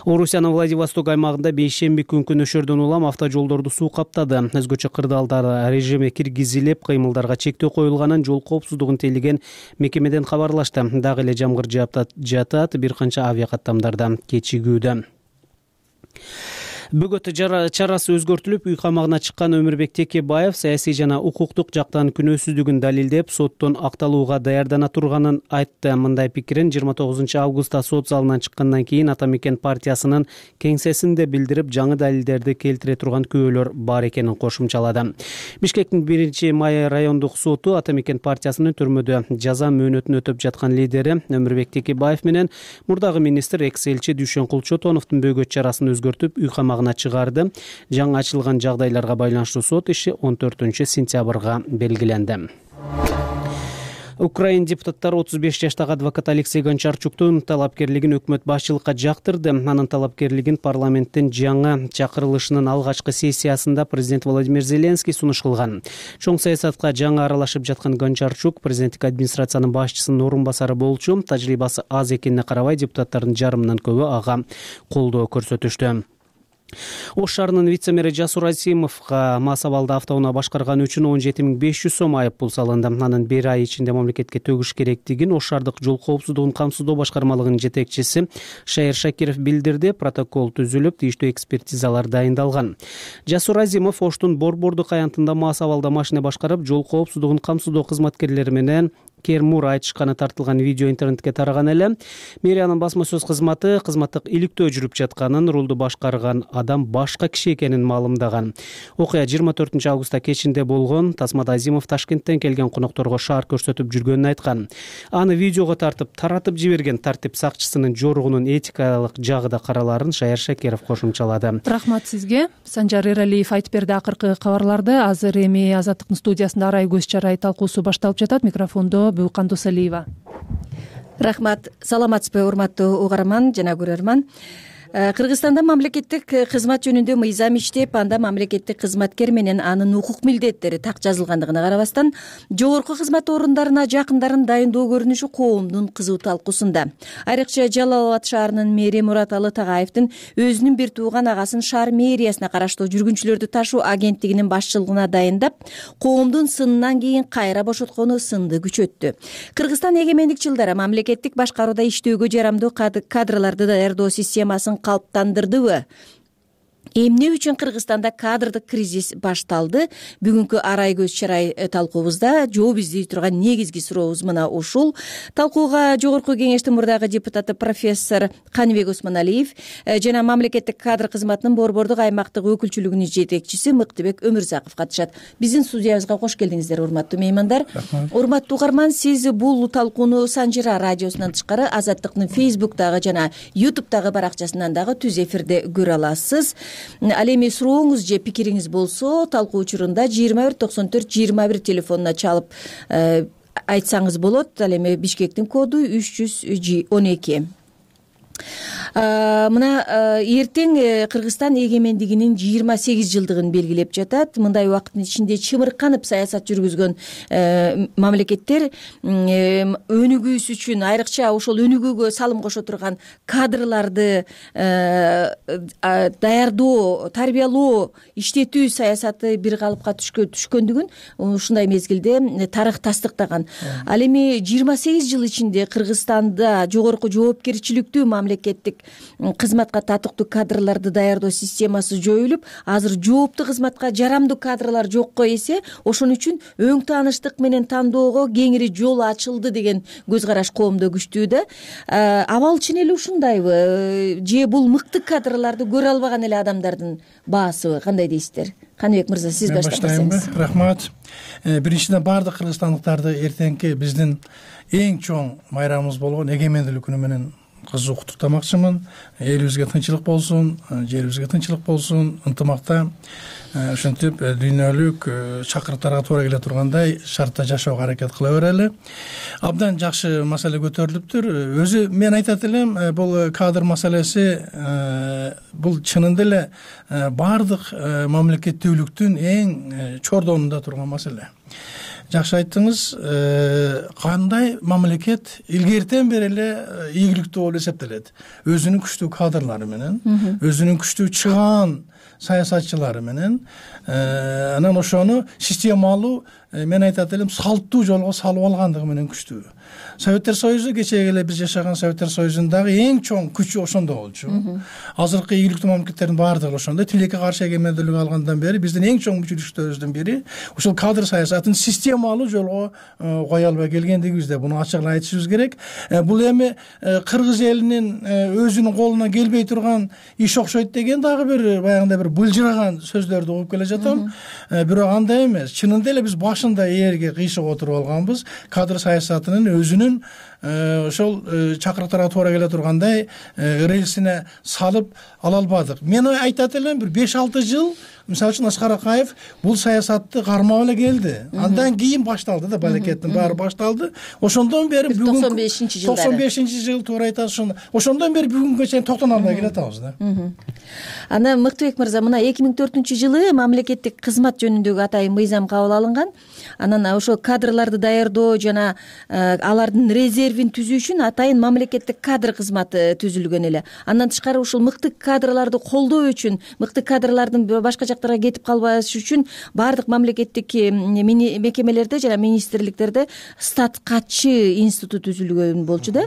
Орусиянын Владивосток аймагында бейшемби күнкү нөшөрдөн улам автожолдорду суу каптады. Өзгөчө кырдаалдар режиме киргизилип, кыймылдарга чектөө коюлганын жол коопсуздугун тейлеген мекемеден кабарлашты. Дагы эле жамгыр жатат, бир канча авиакаттамдарда кечигүүдө. Бөгөт чарасы өзгөртүлүп, үй камагына чыккан Өмүрбек Текебаев саясий жана укуктук жактан күнөөсүздүгүн далилдеп, соттон акталууга даярдана турганын айтты. Мындай пикирин жыйырма тогузунчу августта сот залынан чыккандан кийин Атамекен партиясынын кеңсесинде билдирип, жаңы далилдерди келтире турган күбөлөр бар экенин кошумчалады. Бишкектин биринчи май райондук соту Атамекен партиясынын түрмөдө жаза мөөнөтүн өтөп жаткан лидери Өмүрбек Текебаев менен мурдагы министр экс-элчи Дүйшөнкул Чотоновдун бөгөт чарасын өзгөртүп, үй камагына чыгарды. Жаңы ачылган жагдайларга байланыштуу сот иши он төртүнчү сентябрга белгиленди. Украин депутаттары отуз беш жаштагы адвокат Алексей Гончарчуктун талапкерлигин өкмөт башчылыкка жактырды. Анын талапкерлигин парламенттин жаңы чакырылышынын алгачкы сессиясында президент Владимир Зеленский сунуш кылган. Чоң саясатка жаңы аралашып жаткан Гончарчук президенттик администрациянын башчысынын орун басары болчу. Тажрыйбасы аз экенине карабай, депутаттардын жарымынан көбү ага колдоо көрсөтүштү. Ош шаарынын вице-мэри Жасур Азимовго мас абалда автоунаа башкарганы үчүн он жети миң беш жүз сом айып пул салынды. Анын бир ай ичинде мамлекетке төгүш керектигин Ош шаардык жол коопсуздугун камсыздоо башкармалыгынын жетекчиси Шайыр Шакиров билдирди. Протокол түзүлүп, тийиштүү экспертизалар дайындалган. Жасур Азимов Оштун Борбордук аянтында мас абалда машина башкарып, жол коопсуздугун камсыздоо кызматкерлери менен кермур айтышканы тартылган видео интернетке тараган эле. Мэриянын басма сөз кызматы кызматтык иликтөө жүрүп жатканын, рулду башкарган адам башка киши экенин маалымдаган. Окуя жыйырма төртүнчү августта кечинде болгон. Тасмада Азимов Ташкенттен келген конокторго шаар көрсөтүп жүргөнүн айткан. Аны видеого тартып, таратып жиберген тартип сакчысынын жоругунун этикалык жагы да караларын Шайыр Шакиров кошумчалады. Рахмат сизге. Санжар Эралиев айтып берди акыркы кабарларды. Азыр эми Азаттыктын студиясында арай көз чарай талкуусу башталып жатат. Микрофондо Бүйкан Досалиева. Рахмат. Саламатсызбы, урматтуу угарман жана көрөрман. Кыргызстанда мамлекеттик кызмат жөнүндө мыйзам иштеп, анда мамлекеттик кызматкер менен анын укук милдеттери так жазылгандыгына карабастан, жогорку кызмат орундарына жакындарын дайындоо көрүнүшү коомдун кызуу талкуусунда. Айрыкча Жалал Абад шаарынын мэри Мураталы Тагаевдин өзүнүн бир тууган агасын шаар мэриясына караштуу жүргүнчүлөрдү ташуу агенттигинин башчылыгына дайындап, коомдун сынынан кийин кайра бошоткону сынды күчөттү. Кыргызстан эгемендик жылдары мамлекеттик башкарууда иштөөгө жарамдуу кадрларды даярдоо системасын калыптандырдыбы? Эмне үчүн Кыргызстанда кадрдык кризис башталды? Бүгүнкү арай көз чарай талкуубузда жооп издей турган негизги сурообуз мына ушул. Талкууга Жогорку кеңештин мурдагы депутаты профессор Каныбек Осмоналиев жана мамлекеттик кадр кызматынын Борбордук аймактык өкүлчүлүгүнүн жетекчиси Мыктыбек Өмүрзаков катышат. Биздин студиябызга кош келдиңиздер, урматтуу меймандар. Урматтуу угарман, сиз бул талкууну Санжыра радиосунан тышкары Азаттыктын Фейсбуктагы жана Ютубтагы баракчасынан дагы түз эфирде көрө аласыз. Ал эми сурооңуз же пикириңиз болсо, талкуу учурунда жыйырма бир токсон төрт жыйырма бир телефонуна чалып айтсаңыз болот. Ал эми Бишкектин коду үч жүз он эки. Мына эртең Кыргызстан эгемендигинин жыйырма сегиз жылдыгын белгилеп жатат. Мындай убакыттын ичинде чымырканып саясат жүргүзгөн мамлекеттер өнүгүүсү үчүн, айрыкча ошол өнүгүүгө салым кошо турган кадрларды даярдоо, тарбиялоо, иштетүү саясаты бир калыпка түшкөндүгүн ушундай мезгилде тарых тастыктаган. Ал эми жыйырма сегиз жыл ичинде Кыргызстанда жогорку жоопкерчиликтүү мамлекеттик кызматка татыктуу кадрларды даярдоо системасы жоюлуп, азыр жооптуу кызматка жарамдуу кадрлар жокко эсе, ошон үчүн өң тааныштык менен тандоого кеңири жол ачылды деген көз караш коомдо күчтүү да. Абал чын эле ушундайбы? Же бул мыкты кадрларды көрө албаган эле адамдардын баасыбы? Кандай дейсиздер? Каныбек мырза, сиз баштасаңыз. Рахмат. Биринчиден баардык кыргызстандыктарды эртеңки биздин эң чоң майрамыбыз болгон эгемендүүлүк күнү менен кызуу куттуктамакчымын. Элибизге тынчылык болсун, жерибизге тынчылык болсун, ынтымакта, ошентип дүйнөлүк чакырыктарга туура келе тургандай шартта жашоого аракет кыла берели. Абдан жакшы маселе көтөрүлүптүр. Өзү мен айтат элем, бул кадр маселеси бул чынында эле баардык мамлекеттүүлүктүн эң чордонунда турган маселе. Жакшы айттыңыз, кандай мамлекет илгертен бери эле ийгиликтүү болуп эсептелет. Өзүнүн күчтүү кадрлары менен, өзүнүн күчтүү чыгаан саясатчылары менен, анан ошону системалуу, мен айтат элем, салттуу жолго салып алгандыгы менен күчтүү. Советтер Союзу, кечеги эле биз жашаган Советтер Союзундагы эң чоң күчү ошондо болчу. Азыркы ийгиликтүү мамлекеттердин баардыгы ошондой. Тилекке каршы эгемендүүлүк алгандан бери биздин эң чоң мүчүлүктөрүбүздүн бири ушул кадр саясатын системалуу жолго кое албай келгендигибизде буну ачык айтышыбыз керек. Бул эми кыргыз элинин өзүнүн колуна келбей турган иш окшойт деген дагы бир баягындай бир былжыраган сөздөрдү угуп келе жатам. Бирок андай эмес. Чынында эле биз башында ээрге кыйшык отуруп алганбыз. Кадр саясатынын өзүнүн ошол чакырыктарга туура келе тургандай рельсине салып ала албадык. Мен айтат элем, бир беш алты жыл мисалы үчүн Аскар Акаев бул саясатты кармап эле келди. Андан кийин башталды да, балекеттин баары башталды. Ошондон бери бүгүн токсон бешинчи жылдары токсон бешинчи жыл туура айтасыз. Ошондон бери бүгүнгө чейин токтоно албай келатабыз да. Ана Мыктыбек мырза, мына эки миң төртүнчү жылы мамлекеттик кызмат жөнүндөгү атайын мыйзам кабыл алынган. Анан ошо кадрларды даярдоо жана алардын резервин түзүү үчүн атайын мамлекеттик кадр кызматы түзүлгөн эле. Андан тышкары ушул мыкты кадрларды колдоо үчүн, мыкты кадрлардын башка жактарга кетип калбаш үчүн баардык мамлекеттик мекемелерде жана министрликтерде статкатчы институт түзүлгөн болчу да.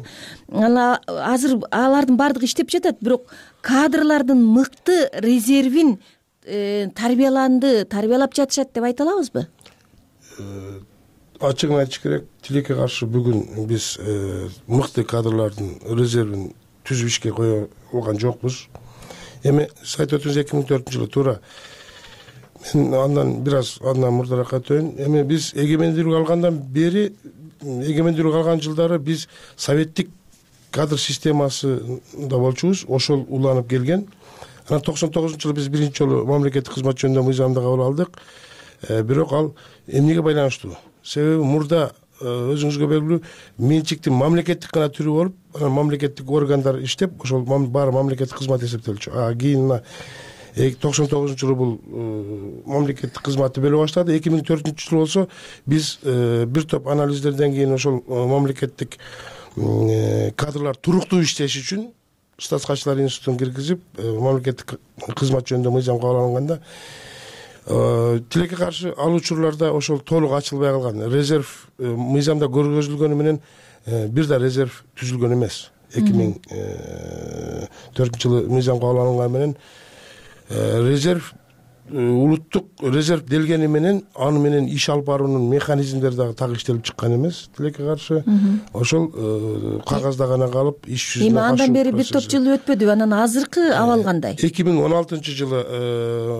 Азыр алардын баардыгы иштеп жатат, бирок кадрлардын мыкты резервин тарбияланды, тарбиялап жатышат деп айта алабызбы? Ачыгын айтыш керек, тилекке каршы бүгүн биз мыкты кадрлардын резервин түзүп ишке кое алган жокпуз. Эми сиз айтып өттүңүз, эки миң төртүнчү жылы туура. Мен андан бир аз андан мурдараак өтөйүн. Эми биз эгемендүүлүк алгандан бери, эгемендүүлүк алган жылдары биз советтик кадр системасында болчубуз, ошол уланып келген. Анан токсон тогузунчу жылы биз биринчи жолу мамлекеттик кызмат жөнүндө мыйзамды кабыл алдык. Бирок ал эмнеге байланыштуу? Себеби мурда өзүңүзгө белгилүү менчиктин мамлекеттик гана түрү болуп, анан мамлекеттик органдар иштеп, ошол баары мамлекеттик кызмат эсептелчү. А кийин мына токсон тогузунчу жылы бул мамлекеттик кызматты бөлө баштады. эки миң төртүнчү жыл болсо биз бир топ анализдерден кийин ошол мамлекеттик кадрлар туруктуу иштеш үчүн штат катчылар институтун киргизип, мамлекеттик кызмат жөнүндө мыйзам кабыл алынганда тилекке каршы ал учурларда ошол толук ачылбай калган. Резерв мыйзамда көргөзүлгөнү менен бир да резерв түзүлгөн эмес. эки миң төртүнчү жылы мыйзам кабыл алынганы менен резерв улуттук резерв делгени менен аны менен иш алып баруунун механизмдери дагы так иштелип чыккан эмес. Тилекке каршы ошол кагазда гана калып иш жүзүнө эми андан бери бир топ жыл өтпөдүбү? Анан азыркы абал кандай? эки миң он алтынчы жылы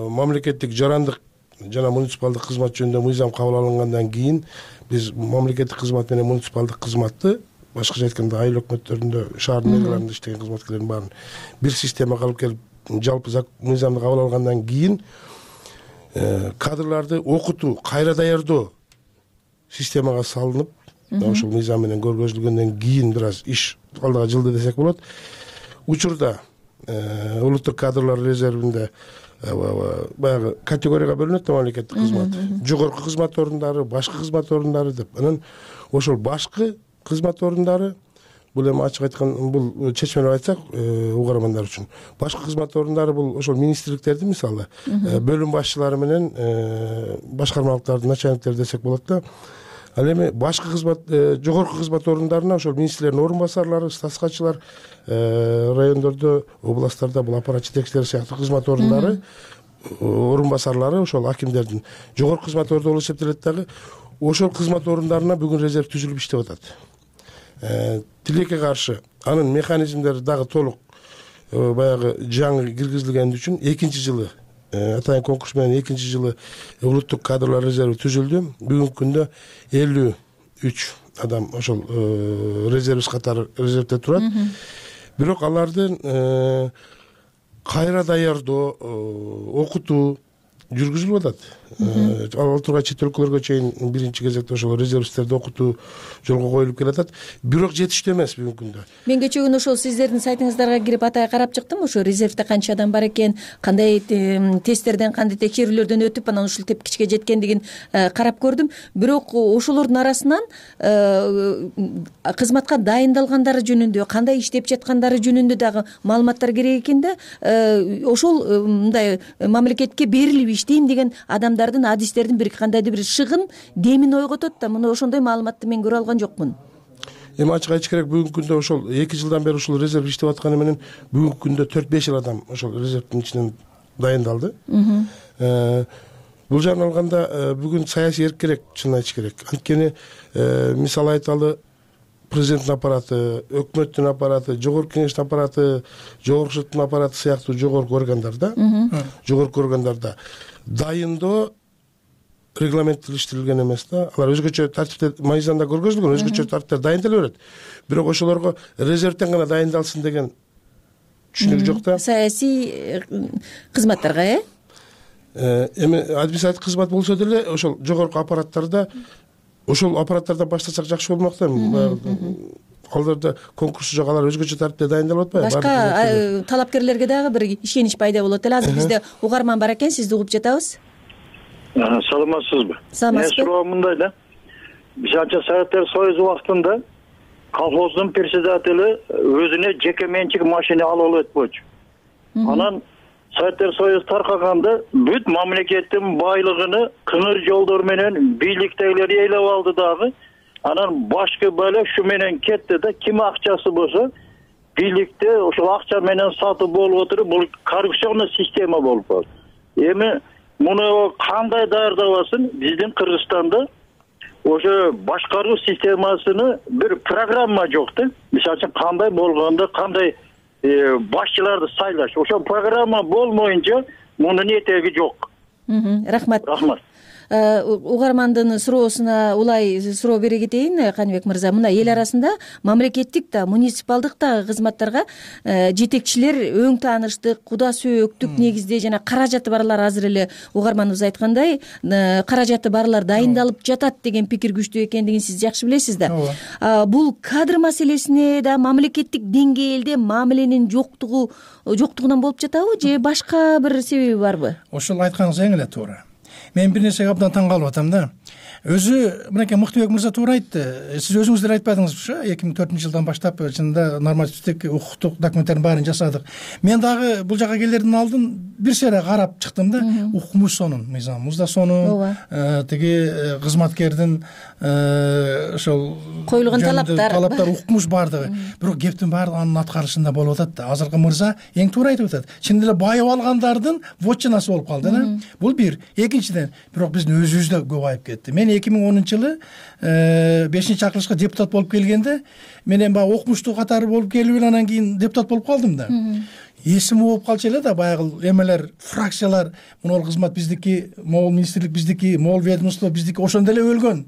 мамлекеттик жарандык жана муниципалдык кызмат жөнүндө мыйзам кабыл алынгандан кийин биз мамлекеттик кызмат менен муниципалдык кызматты, башкача айтканда айыл өкмөттөрүндө, шаар мэрияларында иштеген кызматкерлердин баарын бир системага алып келип, жалпы мыйзамды кабыл алгандан кийин кадрларды окутуу, кайра даярдоо системага салынып, ошол мыйзам менен көргөзүлгөндөн кийин бир аз иш алдыга жылды десек болот. Учурда улуттук кадрлар резервинде баягы категорияга бөлүнөт да мамлекеттик кызмат. Жогорку кызмат орундары, башкы кызмат орундары деп. Анан ошол башкы кызмат орундары, бул эми ачык айткан, бул чечмелеп айтсак угармандар үчүн, башкы кызмат орундары бул ошол министрликтердин, мисалы бөлүм башчылары менен башкармалыктардын начальниктери десек болот да. Ал эми башкы кызмат, жогорку кызмат орундарына ошол министрлердин орун басарлары, статскатчылар, райондордо, областтарда бул аппарат жетекчилери сыяктуу кызмат орундары, орун басарлары ошол акимдердин жогорку кызмат орунду болуп эсептелет дагы. Ошол кызмат орундарына бүгүн резерв түзүлүп иштеп атат. Тилекке каршы анын механизмдери дагы толук баягы жаңы киргизилгени үчүн экинчи жылы атайын конкурс менен экинчи жылы улуттук кадрлар резерви түзүлдү. Бүгүнкү күндө элүү үч адам ошол резервист катары резервде турат. Бирок алардын кайра даярдоо, окутуу жүргүзүлүп атат. Ал тургай чет өлкөлөргө чейин биринчи кезекте ошол резервисттерди окутуу жолго коюлуп келатат. Бирок жетиштүү эмес бүгүнкү күндө. Мен кечээ күнү ошол сиздердин сайтыңыздарга кирип атайын карап чыктым. Ошо резервде канча адам бар экен, кандай тесттерден, кандай текшерүүлөрдөн өтүп, анан ушул тепкичке жеткендигин карап көрдүм. Бирок ошолордун арасынан кызматка дайындалгандары жөнүндө, кандай иштеп жаткандары жөнүндө дагы маалыматтар керек экен да. Ошол мындай мамлекетке берилип иштейм деген адамдардын, адистердин бир кандайдыр бир шыгын демин ойготот да. Мына ошондой маалыматты мен көрө алган жокмун. Эми ачык айтыш керек, бүгүнкү күндө ошол эки жылдан бери ушул резерв иштеп атканы менен бүгүнкү күндө төрт беш адам ошол резервдин ичинен дайындалды. Бул жагынан алганда бүгүн саясий эрк керек, чынын айтыш керек. Анткени мисалы айталы, президенттин аппараты, өкмөттүн аппараты, жогорку кеңештин аппараты, жогорку соттун аппараты сыяктуу жогорку органдарда, жогорку органдарда дайындоо регламенттештирилген эмес да. Алар өзгөчө тартипте, мыйзамда көргөзүлгөн өзгөчө тартиптер дайындала берет. Бирок ошолорго резервден гана дайындалсын деген түшүнүк жок да. Саясий кызматтарга, э? Эми административдик кызмат болсо деле ошол жогорку аппараттарда, ошол аппараттардан баштасак жакшы болмок да. Аларда конкурсу жок, алар өзгөчө тартипте дайындалып атпайбы? Башка талапкерлерге дагы бир ишенич пайда болот эле. Азыр бизде угарман бар экен, сизди угуп жатабыз. Саламатсызбы? Саламатсызбы. Мен суроом мындай да. Биз анча Советтер Союзу убактында колхоздун председатели өзүнө жеке менчик машина алып алып өтпөчү. Анан Советтер Союзу таркаганда бүт мамлекеттин байлыгын кыңыр жолдор менен бийликтегилер ээлеп алды дагы. Анан башкы бөлө ушу менен кетти да. Ким акчасы болсо бийликте ошол акча менен сатып болуп отуруп, бул коррупционный система болуп калды. Эми муну кандай даярдабасын? Биздин Кыргызстанда ошо башкаруу системасыны бир программа жок да. Мисалы үчүн кандай болгондо, кандай башчыларды сайлаш. Ошо программа болмоюнча мунун этеги жок. Рахмат. Рахмат. угармандын суроосуна улай суроо бере кетейин Каныбек мырза. Мына эл арасында мамлекеттик да, муниципалдык да кызматтарга жетекчилер өң тааныштык, куда сөөктүк негизде жана каражаты барлар азыр эле угарманыбыз айткандай каражаты барлар дайындалып жатат деген пикир күчтүү экендигин сиз жакшы билесиз да. Бул кадр маселесине да мамлекеттик деңгээлде мамиленин жоктугу жоктугунан болуп жатабы же башка бир себеби барбы? Ошол айтканыңыз эң эле туура. Мен бир нерсеге абдан таң калып атам да. Өзү мынакей Мыктыбек мырза туура айтты. Сиз өзүңүз деле айтпадыңызбы, эки миң төртүнчү жылдан баштап чынында нормативдик укуктук документтердин баарын жасадык. Мен дагы бул жака келерден алдын бир сере карап чыктым да. Укмуш сонун, мыйзамыбыз да сонун, тиги кызматкердин ошол коюлган талаптар, талаптар укмуш баардыгы. Бирок кептин баары анын аткарышында болуп атат да. Азыркы мырза эң туура айтып атат. Чын эле байып алгандардын вотчинасы болуп калды да. Бул бир. Экинчиден, бирок биздин өзүбүз да көп айып кетти. Мен эки миң онунчу жылы бешинчи акылышка депутат болуп келгенде менен баягы окумуштуу катары болуп келип эле анан кийин депутат болуп калдым да. Эсим болуп калчу эле да, баягы эмелер, фракциялар, могул кызмат биздики, могул министрлик биздики, могул ведомство биздики ошондо эле өлгөн.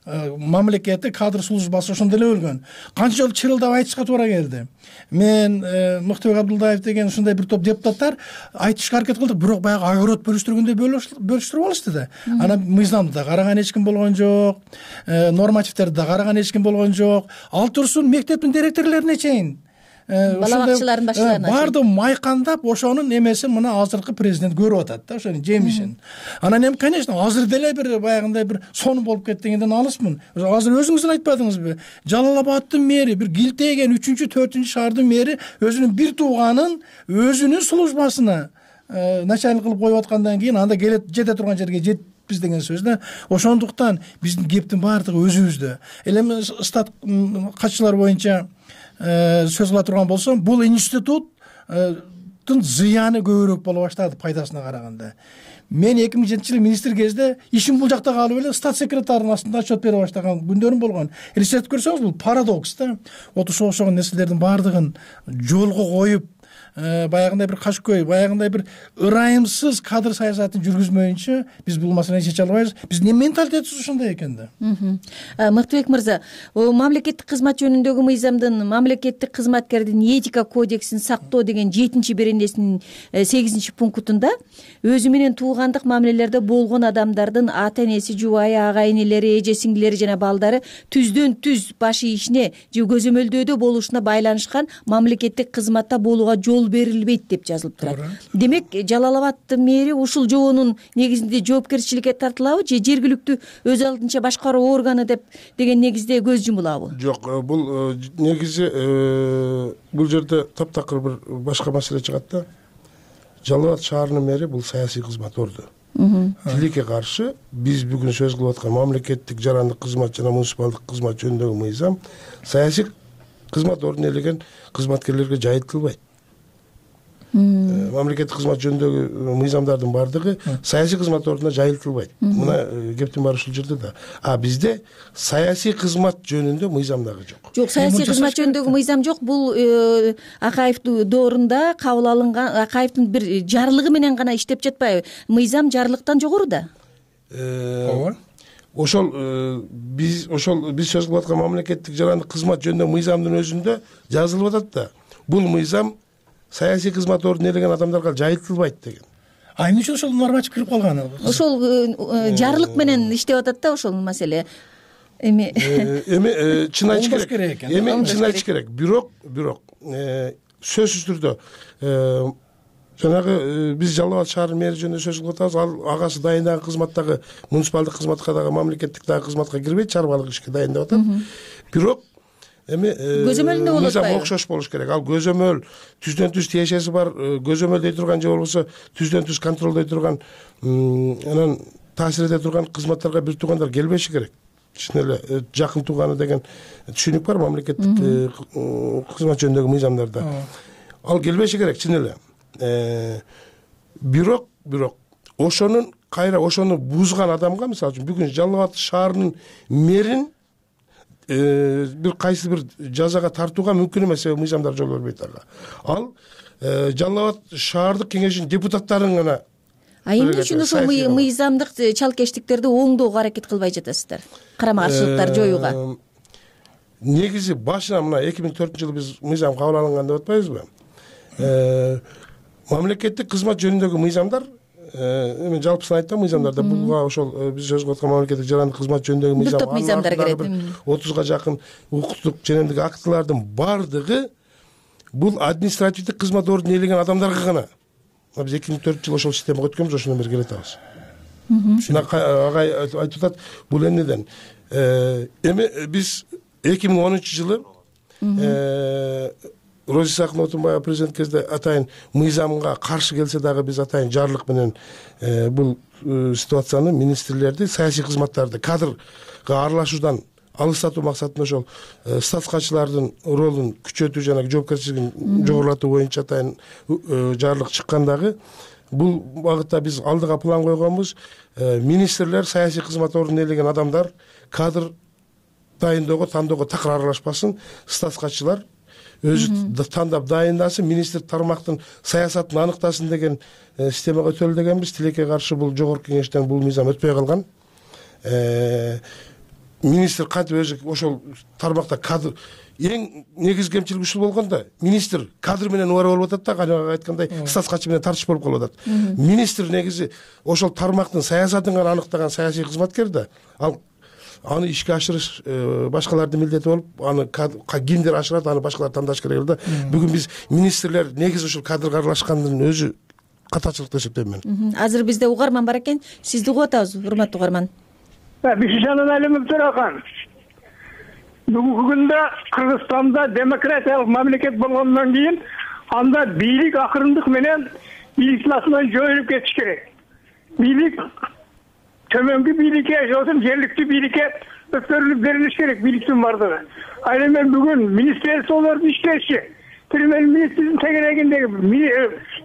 Мамлекеттик кадр службасы ошондо эле өлгөн. Канча жолу чырылдап айтышка туура келди. Мен Мыктыбек Абдулдаев деген ушундай бир топ депутаттар айтышка аракет кылдык, бирок баягы огород бөлүштүргөндөй бөлүштүрүп алышты да. Анан мыйзамды да караган эч ким болгон жок, нормативтерди да караган эч ким болгон жок. Ал турсун мектептин директорлоруна чейин, бала бакчалардын башчыларына баардыгы майкандап ошонун эмесин мына азыркы президент көрүп атат да, ошонун жемишин. Анан эми конечно азыр деле бир баягындай бир сонун болуп кетти дегенден алыспын. Азыр өзүңүз эле айтпадыңызбы? Жалал Абадтын мэри, бир килтейген үчүнчү төртүнчү шаардын мэри өзүнүн бир тууганын өзүнүн службасына начальник кылып коюп аткандан кийин анда келет жете турган жерге жетпиз деген сөз да. Ошондуктан биздин кептин баардыгы өзүбүздө. Эми стат катчылар боюнча сөз кыла турган болсом, бул институттун зыяны көбүрөөк боло баштады пайдасына караганда. Мен эки миң жетинчи жылы министр кезде ишим бул жакта калып эле стат секретарынын астында отчет бере баштаган күндөрүм болгон. Элестетип көрсөңүз, бул парадокс да. Вот ошо окшогон нерселердин баардыгын жолго коюп, баягындай бир кашкөй, баягындай бир ырайымсыз кадр саясатын жүргүзмөйүнчө биз бул маселени чече албайбыз. Биздин менталитетибиз ошондой экен да. Мыктыбек мырза, мамлекеттик кызмат жөнүндөгү мыйзамдын мамлекеттик кызматкердин этика кодексин сактоо деген жетинчи беренесинин сегизинчи пунктунда өзү менен туугандык мамилелерде болгон адамдардын ата энеси, жубайы, ага энелери, эже сиңдилери жана балдары түздөн түз баш ийишине же көзөмөлдөөдө болушуна байланышкан мамлекеттик кызматта болууга жол берилбейт деп жазылып турат. Демек, Жалал Абадтын мэри ушул жоонун негизинде жоопкерчиликке тартылабы же жергиликтүү өз алдынча башкаруу органы деп деген негизде көз жумулабы? Жок, бул негизи бул жерде таптакыр бир башка маселе чыгат да. Жалал Абад шаарынын мэри бул саясий кызмат орду. Тилекке каршы биз бүгүн сөз кылып аткан мамлекеттик жарандык кызмат жана муниципалдык кызмат жөнүндөгү мыйзам саясий кызмат ордун ээлеген кызматкерлерге жайылтылбайт. Мамлекеттик кызмат жөнүндөгү мыйзамдардын баардыгы саясий кызмат ордуна жайылтылбайт. Мына кептин баары ушул жерде да. А бизде саясий кызмат жөнүндө мыйзам дагы жок. Жок, саясий кызмат жөнүндөгү мыйзам жок. Бул Акаев доорунда кабыл алынган, Акаевдин бир жарлыгы менен гана иштеп жатпайбы? Мыйзам жарлыктан жогоруда. Ооба. Ошол биз ошол биз сөз кылып аткан мамлекеттик жарандык кызмат жөнүндөгү мыйзамдын өзүндө жазылып атат да. Бул мыйзам саясий кызмат ордун ээлеген адамдарга жайылтылбайт деген. А эмне үчүн ошол норматив кирип калган? Ошол жарлык менен иштеп атат да ошол маселе. Эми эми чын айтыш керек. Эми чын айтыш керек. Бирок, бирок сөзсүз түрдө жанагы биз Жалал Абад шаарынын мэри жөнүндө сөз кылып атабыз. Ал агасы дайындаган кызматтагы муниципалдык кызматка дагы мамлекеттик дагы кызматка кирбейт, чарбалык ишке дайындап атат. Бирок эми көзөмөлүндө болот мыйзам окшош болуш керек. Ал көзөмөл түздөн түз тиешеси бар, көзөмөлдөй турган же болбосо түздөн түз контролдой турган, анан таасир эте турган кызматтарга бир туугандар келбеши керек. Чын эле жакын тууганы деген түшүнүк бар мамлекеттик кызмат жөнүндөгү мыйзамдарда. Ал келбеши керек, чын эле. Бирок, бирок ошонун кайра ошону бузган адамга, мисалы үчүн бүгүн Жалал Абад шаарынын мэрин бир кайсы бир жазага тартууга мүмкүн эмес, себеби мыйзамдар жол бербейт ага. Ал Жалал Абад шаардык кеңешинин депутаттарын гана А эмне үчүн ошол мыйзамдык чалкештиктерди оңдоого аракет кылбай жатасыздар, карама каршылыктарды жоюуга? Негизи башынан мына эки миң төртүнчү жылы биз мыйзам кабыл алынган деп атпайбызбы? Мамлекеттик кызмат жөнүндөгү мыйзамдар, эми жалпысын айтсам, мыйзамдарда буга ошол биз сөз кылып аткан мамлекеттик жарандык кызмат жөнүндөгү мыйзам, бир топ мыйзамдар кирет. отузга жакын укуктук жөнүндөгү актылардын бардыгы бул административдик кызмат ордун ээлеген адамдарга гана. Биз эки миң төртүнчү жылы ошол системага өткөнбүз, ошондон бери келе атабыз. Агай айтып атат, бул эмнеден? Эми биз эки миң онунчу жылы Роза Исаховна президент кезде атайын мыйзамга каршы келсе дагы биз атайын жарлык менен бул ситуацияны министрлерди, саясий кызматтарды кадрга аралашуудан алыстатуу максатында ошол статскачылардын ролун күчөтүү жана жоопкерчилигин жогорулатуу боюнча атайын жарлык чыккан дагы. Бул багытта биз алдыга план койгонбуз. Министрлер, саясий кызмат ордун ээлеген адамдар кадр дайындоого, тандоого такыр аралашпасын, статскачылар өзү тандап дайындасын, министр тармактын саясатын аныктасын деген системага өтөлү дегенбиз. Тилекке каршы бул жогорку кеңештен бул мыйзам өтпөй калган. Министр кантип өзү ошол тармакта кадр эң негизги кемчилиги ушул болгондо, министр кадр менен убара болуп атат да, кана айткандай статскачы менен тартыш болуп калып атат. Министр негизи ошол тармактын саясатын гана аныктаган саясий кызматкер да, ал аны ишке ашырыш башкалардын милдети болуп, аны кимдир ашырат, аны башкалар тандаш керек да. Бүгүн биз министрлер негизи ушул кадрга аралашкандын өзү катачылык деп эсептейм мен. Азыр бизде угарман бар экен, сизди угуп атабыз, урматтуу угарман. Бишижан Алимов Төракан. Бүгүнкү күндө Кыргызстанда демократиялык мамлекет болгондон кийин анда бийлик акырындык менен бийликчиласынан жоюлуп кетиш керек. Бийлик төмөнкү бийликке, жосун жергиликтүү бийликке өткөрүлүп берилиш керек, бийликтин бардыгы. Ал эми бүгүн министрликтер иштеши, премьер-министрдин тегерегиндеги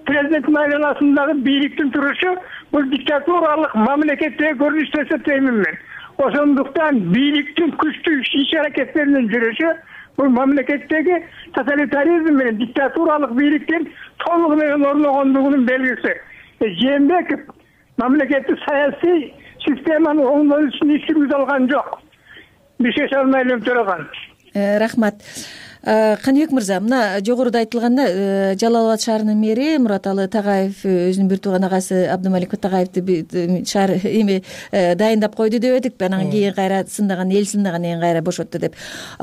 президенттин айланасындагы бийликтин турушу бул диктатуралык мамлекеттеги көрүнүш деп эсептеймин мен. Ошондуктан бийликтин күчтүү иш аракеттеринин жүрүшү бул мамлекеттеги тоталитаризм менен диктатуралык бийликтин толугу менен орногондугунун белгиси. Жээнбеков мамлекеттик саясий системаны оңдоо үчүн иш жүргүзө алган жок. Бишкек Алимов Төракан. Рахмат. Каныбек мырза, мына жогоруда айтылганда Жалал Абад шаарынын мэри Мураталы Тагаев өзүнүн бир тууган агасы Абдымалик Тагаевди шаар эми дайындап койду деп эдик, анан кийин кайра сындаган, эл сындагандан кийин кайра бошотту деп.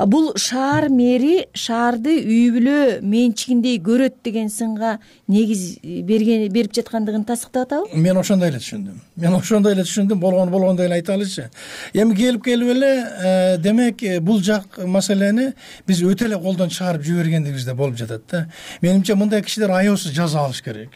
Бул шаар мэри шаарды үй бүлө менчигиндей көрөт деген сынга негиз берген берип жаткандыгын тастыктап атабы? Мен ошондой эле түшүндүм. Мен ошондой эле түшүндүм, болгону болгондой эле айталычы. Эми келип келип эле демек бул жак маселени биз өтө эле колдон чыгарып жибергендигибизде болуп жатат да. Менимче мындай кишилер аеосуз жаза алыш керек.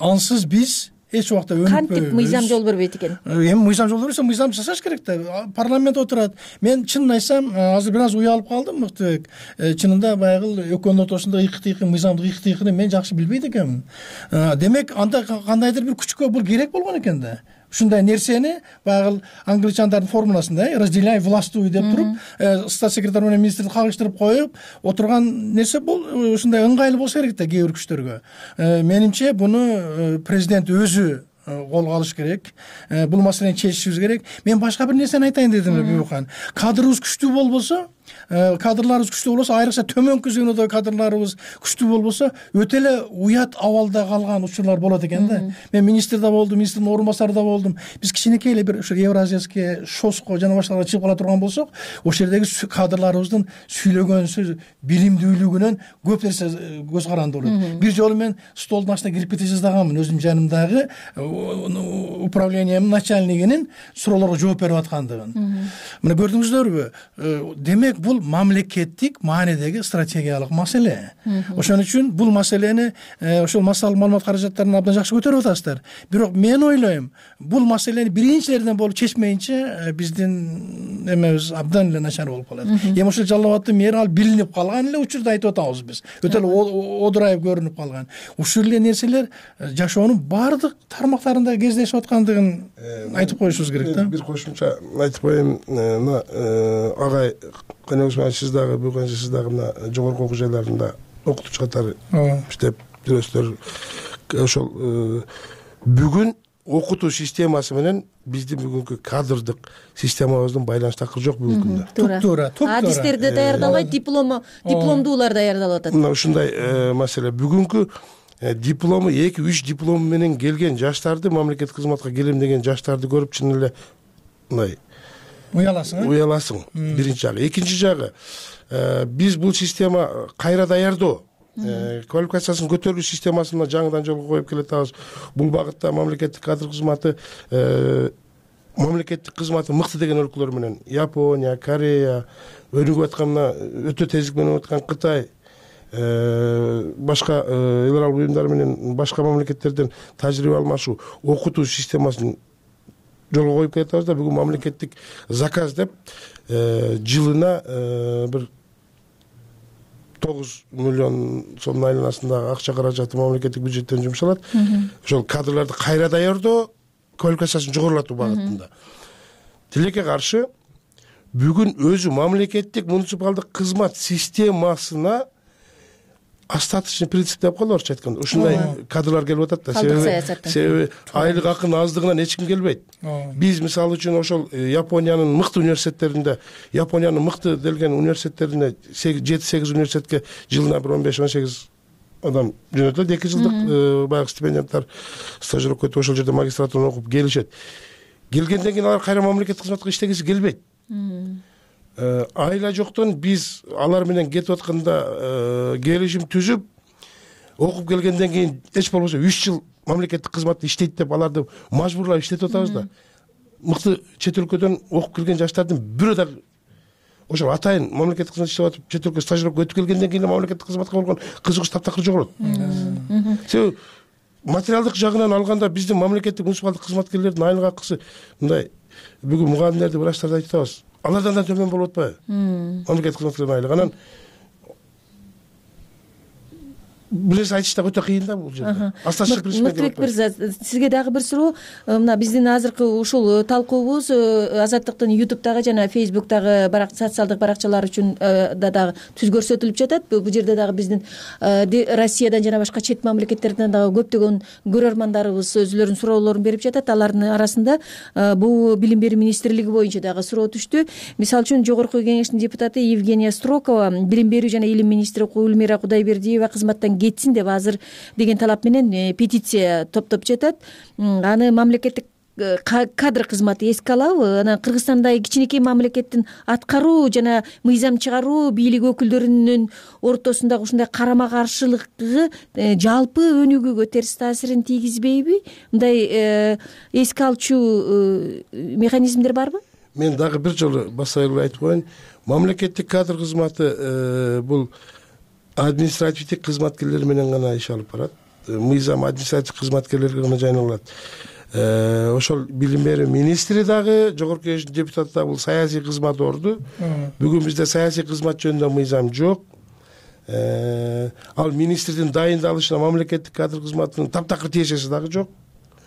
Ансыз биз эч убакта өнүкпөйбүз. Кантип мыйзам жол бербейт экен? Эми мыйзам жол бербесе, мыйзам жасаш керек да. Парламент отурат. Мен чынын айтсам, азыр бир аз уялып калдым, Мыктыбек. Чынында баягы экөөнүн ортосунда ыкы-тыйкы, мыйзамдык ыкы-тыйкыны мен жакшы билбейт экенмин. Демек, анда кандайдыр бир күчкө бул керек болгон экен да. Ушундай нерсени баягы англичандардын формуласында разделяй властвуй деп туруп, стат секретарь менен министрди кагыштырып коюп отурган нерсе бул ушундай ыңгайлуу болсо керек да кээ бир күчтөргө. Менимче буну президент өзү колго алыш керек. Бул маселени чечишибиз керек. Мен башка бир нерсени айтайын дедим Бүйүкхан. Кадрыбыз күчтүү болбосо, кадрларыбыз күчтүү болбосо, айрыкча төмөнкү звенодо кадрларыбыз күчтүү болбосо, өтө эле уят абалда калган учурлар болот экен да. Мен министр да болдум, министрдин орун басары да болдум. Биз кичинекей эле бир ушу Евразияский шоско жана башкаларга чыгып кала турган болсок, ошол жердеги кадрларыбыздын сүйлөгөн сөз билимдүүлүгүнөн көп нерсе көз каранды болот. Бир жолу мен столдун астына кирип кете жаздагамын, өзүмдүн жанымдагы управлениянын начальнигинин суроолорго жооп берип аткандыгын. Мына көрдүңүздөрбү? Демек бул мамлекеттик маанидеги стратегиялык маселе. Ошон үчүн бул маселени ошол массалык маалымат каражаттарын абдан жакшы көтөрүп атасыздар. Бирок мен ойлойм, бул маселени биринчилерден болуп чечмейинче биздин эмебиз абдан эле начар болуп калат. Эми ошол Жалал Абадтын мэри ал билинип калган эле учурда айтып атабыз биз. Өтө эле одурайып көрүнүп калган. Ушул эле нерселер жашоонун баардык тармактарында кездешип аткандыгын айтып коюшубуз керек да. Бир кошумча айтып коеюн, мына агай Каныбек сиз дагы бүгүн сиз дагы мына жогорку окуу жайларында окутуучу катары иштеп жүрөсүздөр. ошол бүгүн окутуу системасы менен биздин бүгүнкү кадрдык системабыздын байланыш такыры жок бүгүнкү күндө. Туп туура, туп туура. Адистерде даярдалбайт, диплому, дипломдуулар даярдалып атат. Мына ушундай маселе. Бүгүнкү диплому эки үч диплому менен келген жаштарды, мамлекеттик кызматка келем деген жаштарды көрүп чын эле мындай уяласың. Уяласың. Биринчи жагы. Экинчи жагы, биз бул система кайра даярдоо, квалификациясын көтөрүү системасын жаңыдан жолго коюп келатабыз. Бул багытта мамлекеттик кадр кызматы мамлекеттик кызматы мыкты деген өлкөлөр менен Япония, Корея, өнүгүп аткан өтө тездик менен өтүп аткан Кытай, башка эл аралык уюмдар менен башка мамлекеттерден тажрыйба алмашуу, окутуу системасын жолго коюп келатабыз да. Бүгүн мамлекеттик заказ деп жылына бир тогуз миллион сомдун айланасындагы акча каражаты мамлекеттик бюджеттен жумшалат. Ошол кадрларды кайра даярдоо, квалификациясын жогорулатуу багытында. Тилекке каршы бүгүн өзү мамлекеттик муниципалдык кызмат системасына остаточный принцип деп коелу орусча айтканда. Ушундай кадрлар келип атат да. Себеби себеби айлык акынын аздыгынан эч ким келбейт. Биз мисалы үчүн ошол Япониянын мыкты университеттеринде, Япониянын мыкты делген университеттерине жети сегиз университетке жылына бир он беш он сегиз адам жөнөтөт. эки жылдык баягы стипендианттар стажировка өтүп ошол жерде магистратураны окуп келишет. Келгенден кийин алар кайра мамлекеттик кызматка иштегиси келбейт. Айла жоктон биз алар менен кетип атканда келишим түзүп, окуп келгенден кийин эч болбосо үч жыл мамлекеттик кызматта иштейт деп аларды мажбурлап иштетип атабыз да. Мыкты чет өлкөдөн окуп келген жаштардын бирөө да ошол атайын мамлекеттик кызмат иштеп атып чет өлкөгө стажировка өтүп келгенден кийин мамлекеттик кызматка болгон кызыгыш таптакыр жогорот. Себеби материалдык жагынан алганда биздин мамлекеттик муниципалдык кызматкерлердин айлык акысы мындай бүгүн мугалимдерди, врачтарды айтып атабыз. Алардан да төмөн болуп атпайбы? Мамлекеттик кызматкерлердин айлыгы. Анан бир нерсе айтыш да өтө кыйын да бул жерде. Асташык Мыктыбек мырза, сизге дагы бир суроо. Мына биздин азыркы ушул талкуубуз Азаттыктын ютубтагы жана фейсбуктагы барак социалдык баракчалар үчүн да дагы түз көрсөтүлүп жатат. Бул жерде дагы биздин Россиядан жана башка чет мамлекеттерден дагы көптөгөн көрөрмандарыбыз өзүлөрүнүн суроолорун берип жатат. Алардын арасында бул билим берүү министрлиги боюнча дагы суроо түштү. Мисалы үчүн Жогорку Кеңештин депутаты Евгения Строкова билим берүү жана илим министри Гүлмира Кудайбердиева кызматтан кетсин деп азыр деген талап менен петиция топтоп жатат. Аны мамлекеттик кадр кызматы эске алабы? Анан Кыргызстандагы кичинекей мамлекеттин аткаруу жана мыйзам чыгаруу бийлик өкүлдөрүнүн ортосундагы ушундай карама каршылыгы жалпы өнүгүүгө терс таасирин тийгизбейби? Мындай эске алчу механизмдер барбы? Мен дагы бир жолу баса эле айтып коеюн. Мамлекеттик кадр кызматы бул административдик кызматкерлер менен гана иш алып барат. Мыйзам административдик кызматкерлерге гана жайналат. Ошол билим берүү министри дагы, Жогорку Кеңештин депутаты да бул саясий кызмат орду. Бүгүн бизде саясий кызмат жөнүндө мыйзам жок. Ал министрдин дайындалышына мамлекеттик кадр кызматынын таптакыр тиешеси дагы жок.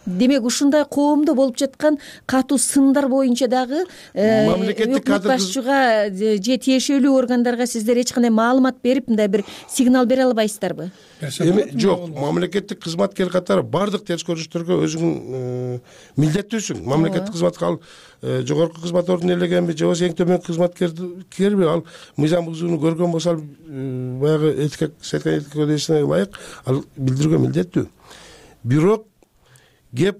Демек ушундай коомдо болуп жаткан катуу сындар боюнча дагы мамлекеттик кадр башчыга же тиешелүү органдарга сиздер эч кандай маалымат берип мындай бир сигнал бере албайсыздарбы? Эми жок, мамлекеттик кызматкер катары бардык терс көрүнүштөргө өзүң милдеттүүсүң. Мамлекеттик кызматка ал жогорку кызмат ордун ээлегенби же болбосо эң төмөнкү кызматкерби, ал мыйзам бузууну көргөн болсо ал баягы этика кодексине ылайык ал билдирүүгө милдеттүү. Бирок кеп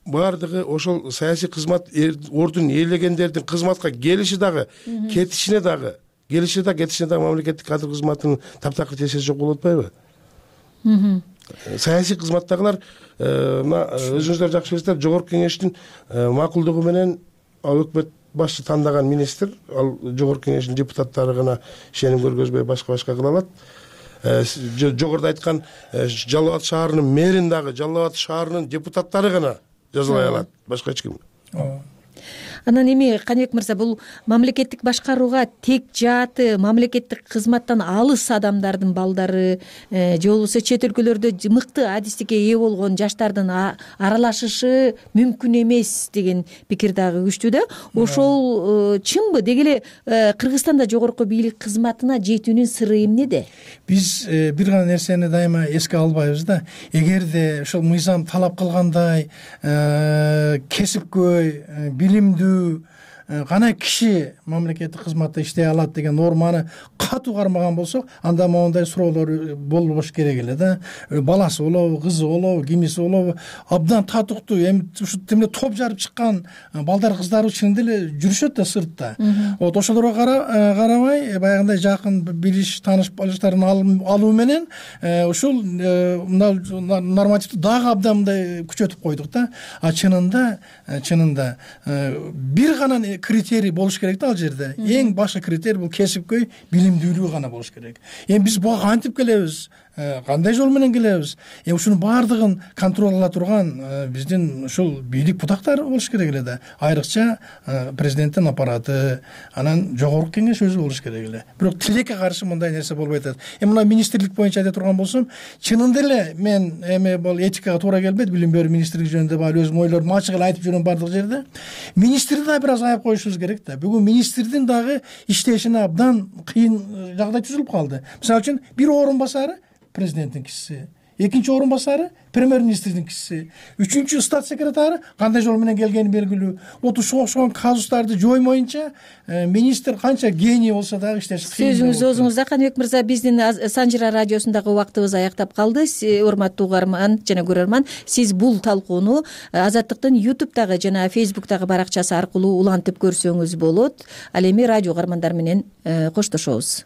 бардыгы ошол саясий кызмат ордун ээлегендердин кызматка келиши дагы, кетишине дагы, келиши да кетишине дагы мамлекеттик кадр кызматынын таптакыр тиешеси жок болуп атпайбы? Саясий кызматтагылар мына өзүңүздөр жакшы билесиздер, Жогорку Кеңештин макулдугу менен ал өкмөт башчы тандаган министр, ал Жогорку Кеңештин депутаттары гана ишеним көргөзбөй башка-башка кыла алат. Жогоруда айткан Жалал Абад шаарынын мэрин дагы Жалал Абад шаарынын депутаттары гана жазалай алат, башка эч ким. анан эми Каныбек мырза, бул мамлекеттик башкарууга тек жааты мамлекеттик кызматтан алыс адамдардын балдары же болбосо чет өлкөлөрдө мыкты адистикке ээ болгон жаштардын аралашышы мүмкүн эмес деген пикир дагы күчтүү да. Ошол чынбы? Деги эле Кыргызстанда жогорку бийлик кызматына жетүүнүн сыры эмнеде? Биз бир гана нерсени дайыма эске албайбыз да. Эгерде ошол мыйзам талап кылгандай кесипкөй, билимдүү гана киши мамлекеттик кызматта иштей алат деген норманы катуу кармаган болсок, анда моундай суроолор болбош керек эле да. Баласы болобу, кызы болобу, кимиси болобу, абдан татыктуу, эми ушу тимде топ жарып чыккан балдар, кыздар чынында эле жүрүшөт да сыртта. Вот ошолорго карабай, баягындай жакын билиш, тааныш балыштарын алуу менен ушул мына нормативди дагы абдан мындай күчөтүп койдук да. А чынында, чынында бир гана критерий болуш керек да ал жерде. Эң башкы критерий бул кесипкөй билимдүүлүгү гана болуш керек. Эми биз буга кантип келебиз? Кандай жол менен келебиз? Эми ушунун баардыгын контроль кыла турган биздин ушул бийлик бутактары болуш керек эле да. Айрыкча президенттин аппараты, анан жогорку кеңеш өзү болуш керек эле. Бирок тилекке каршы мындай нерсе болбой атат. Эми мына министрлик боюнча айта турган болсом, чынында эле мен эми бул этикага туура келбейт, билим берүү министрлиги жөнүндө баары өзүм ойлорумду ачык эле айтып жүрөм бардык жерде. Министрди да бир аз аяп коюшубуз керек да. Бүгүн министрдин дагы иштешине абдан кыйын жагдай түзүлүп калды. Мисалы үчүн бир орун басары президенттин кишиси, экинчи орун басары премьер-министрдин кишиси, үчүнчү стат секретары кандай жол менен келгени белгилүү. Вот ушуга окшогон казустарды жоймоюнча министр канча гений болсо дагы иштеш кыйын. Сөзүңүз оозуңузда, Каныбек мырза. Биздин Санжыра радиосундагы убактыбыз аяктап калды. Урматтуу угарман жана көрөрман, сиз бул талкууну Азаттыктын ютубтагы жана фейсбуктагы баракчасы аркылуу улантып көрсөңүз болот. Ал эми радио угармандар менен коштошобуз.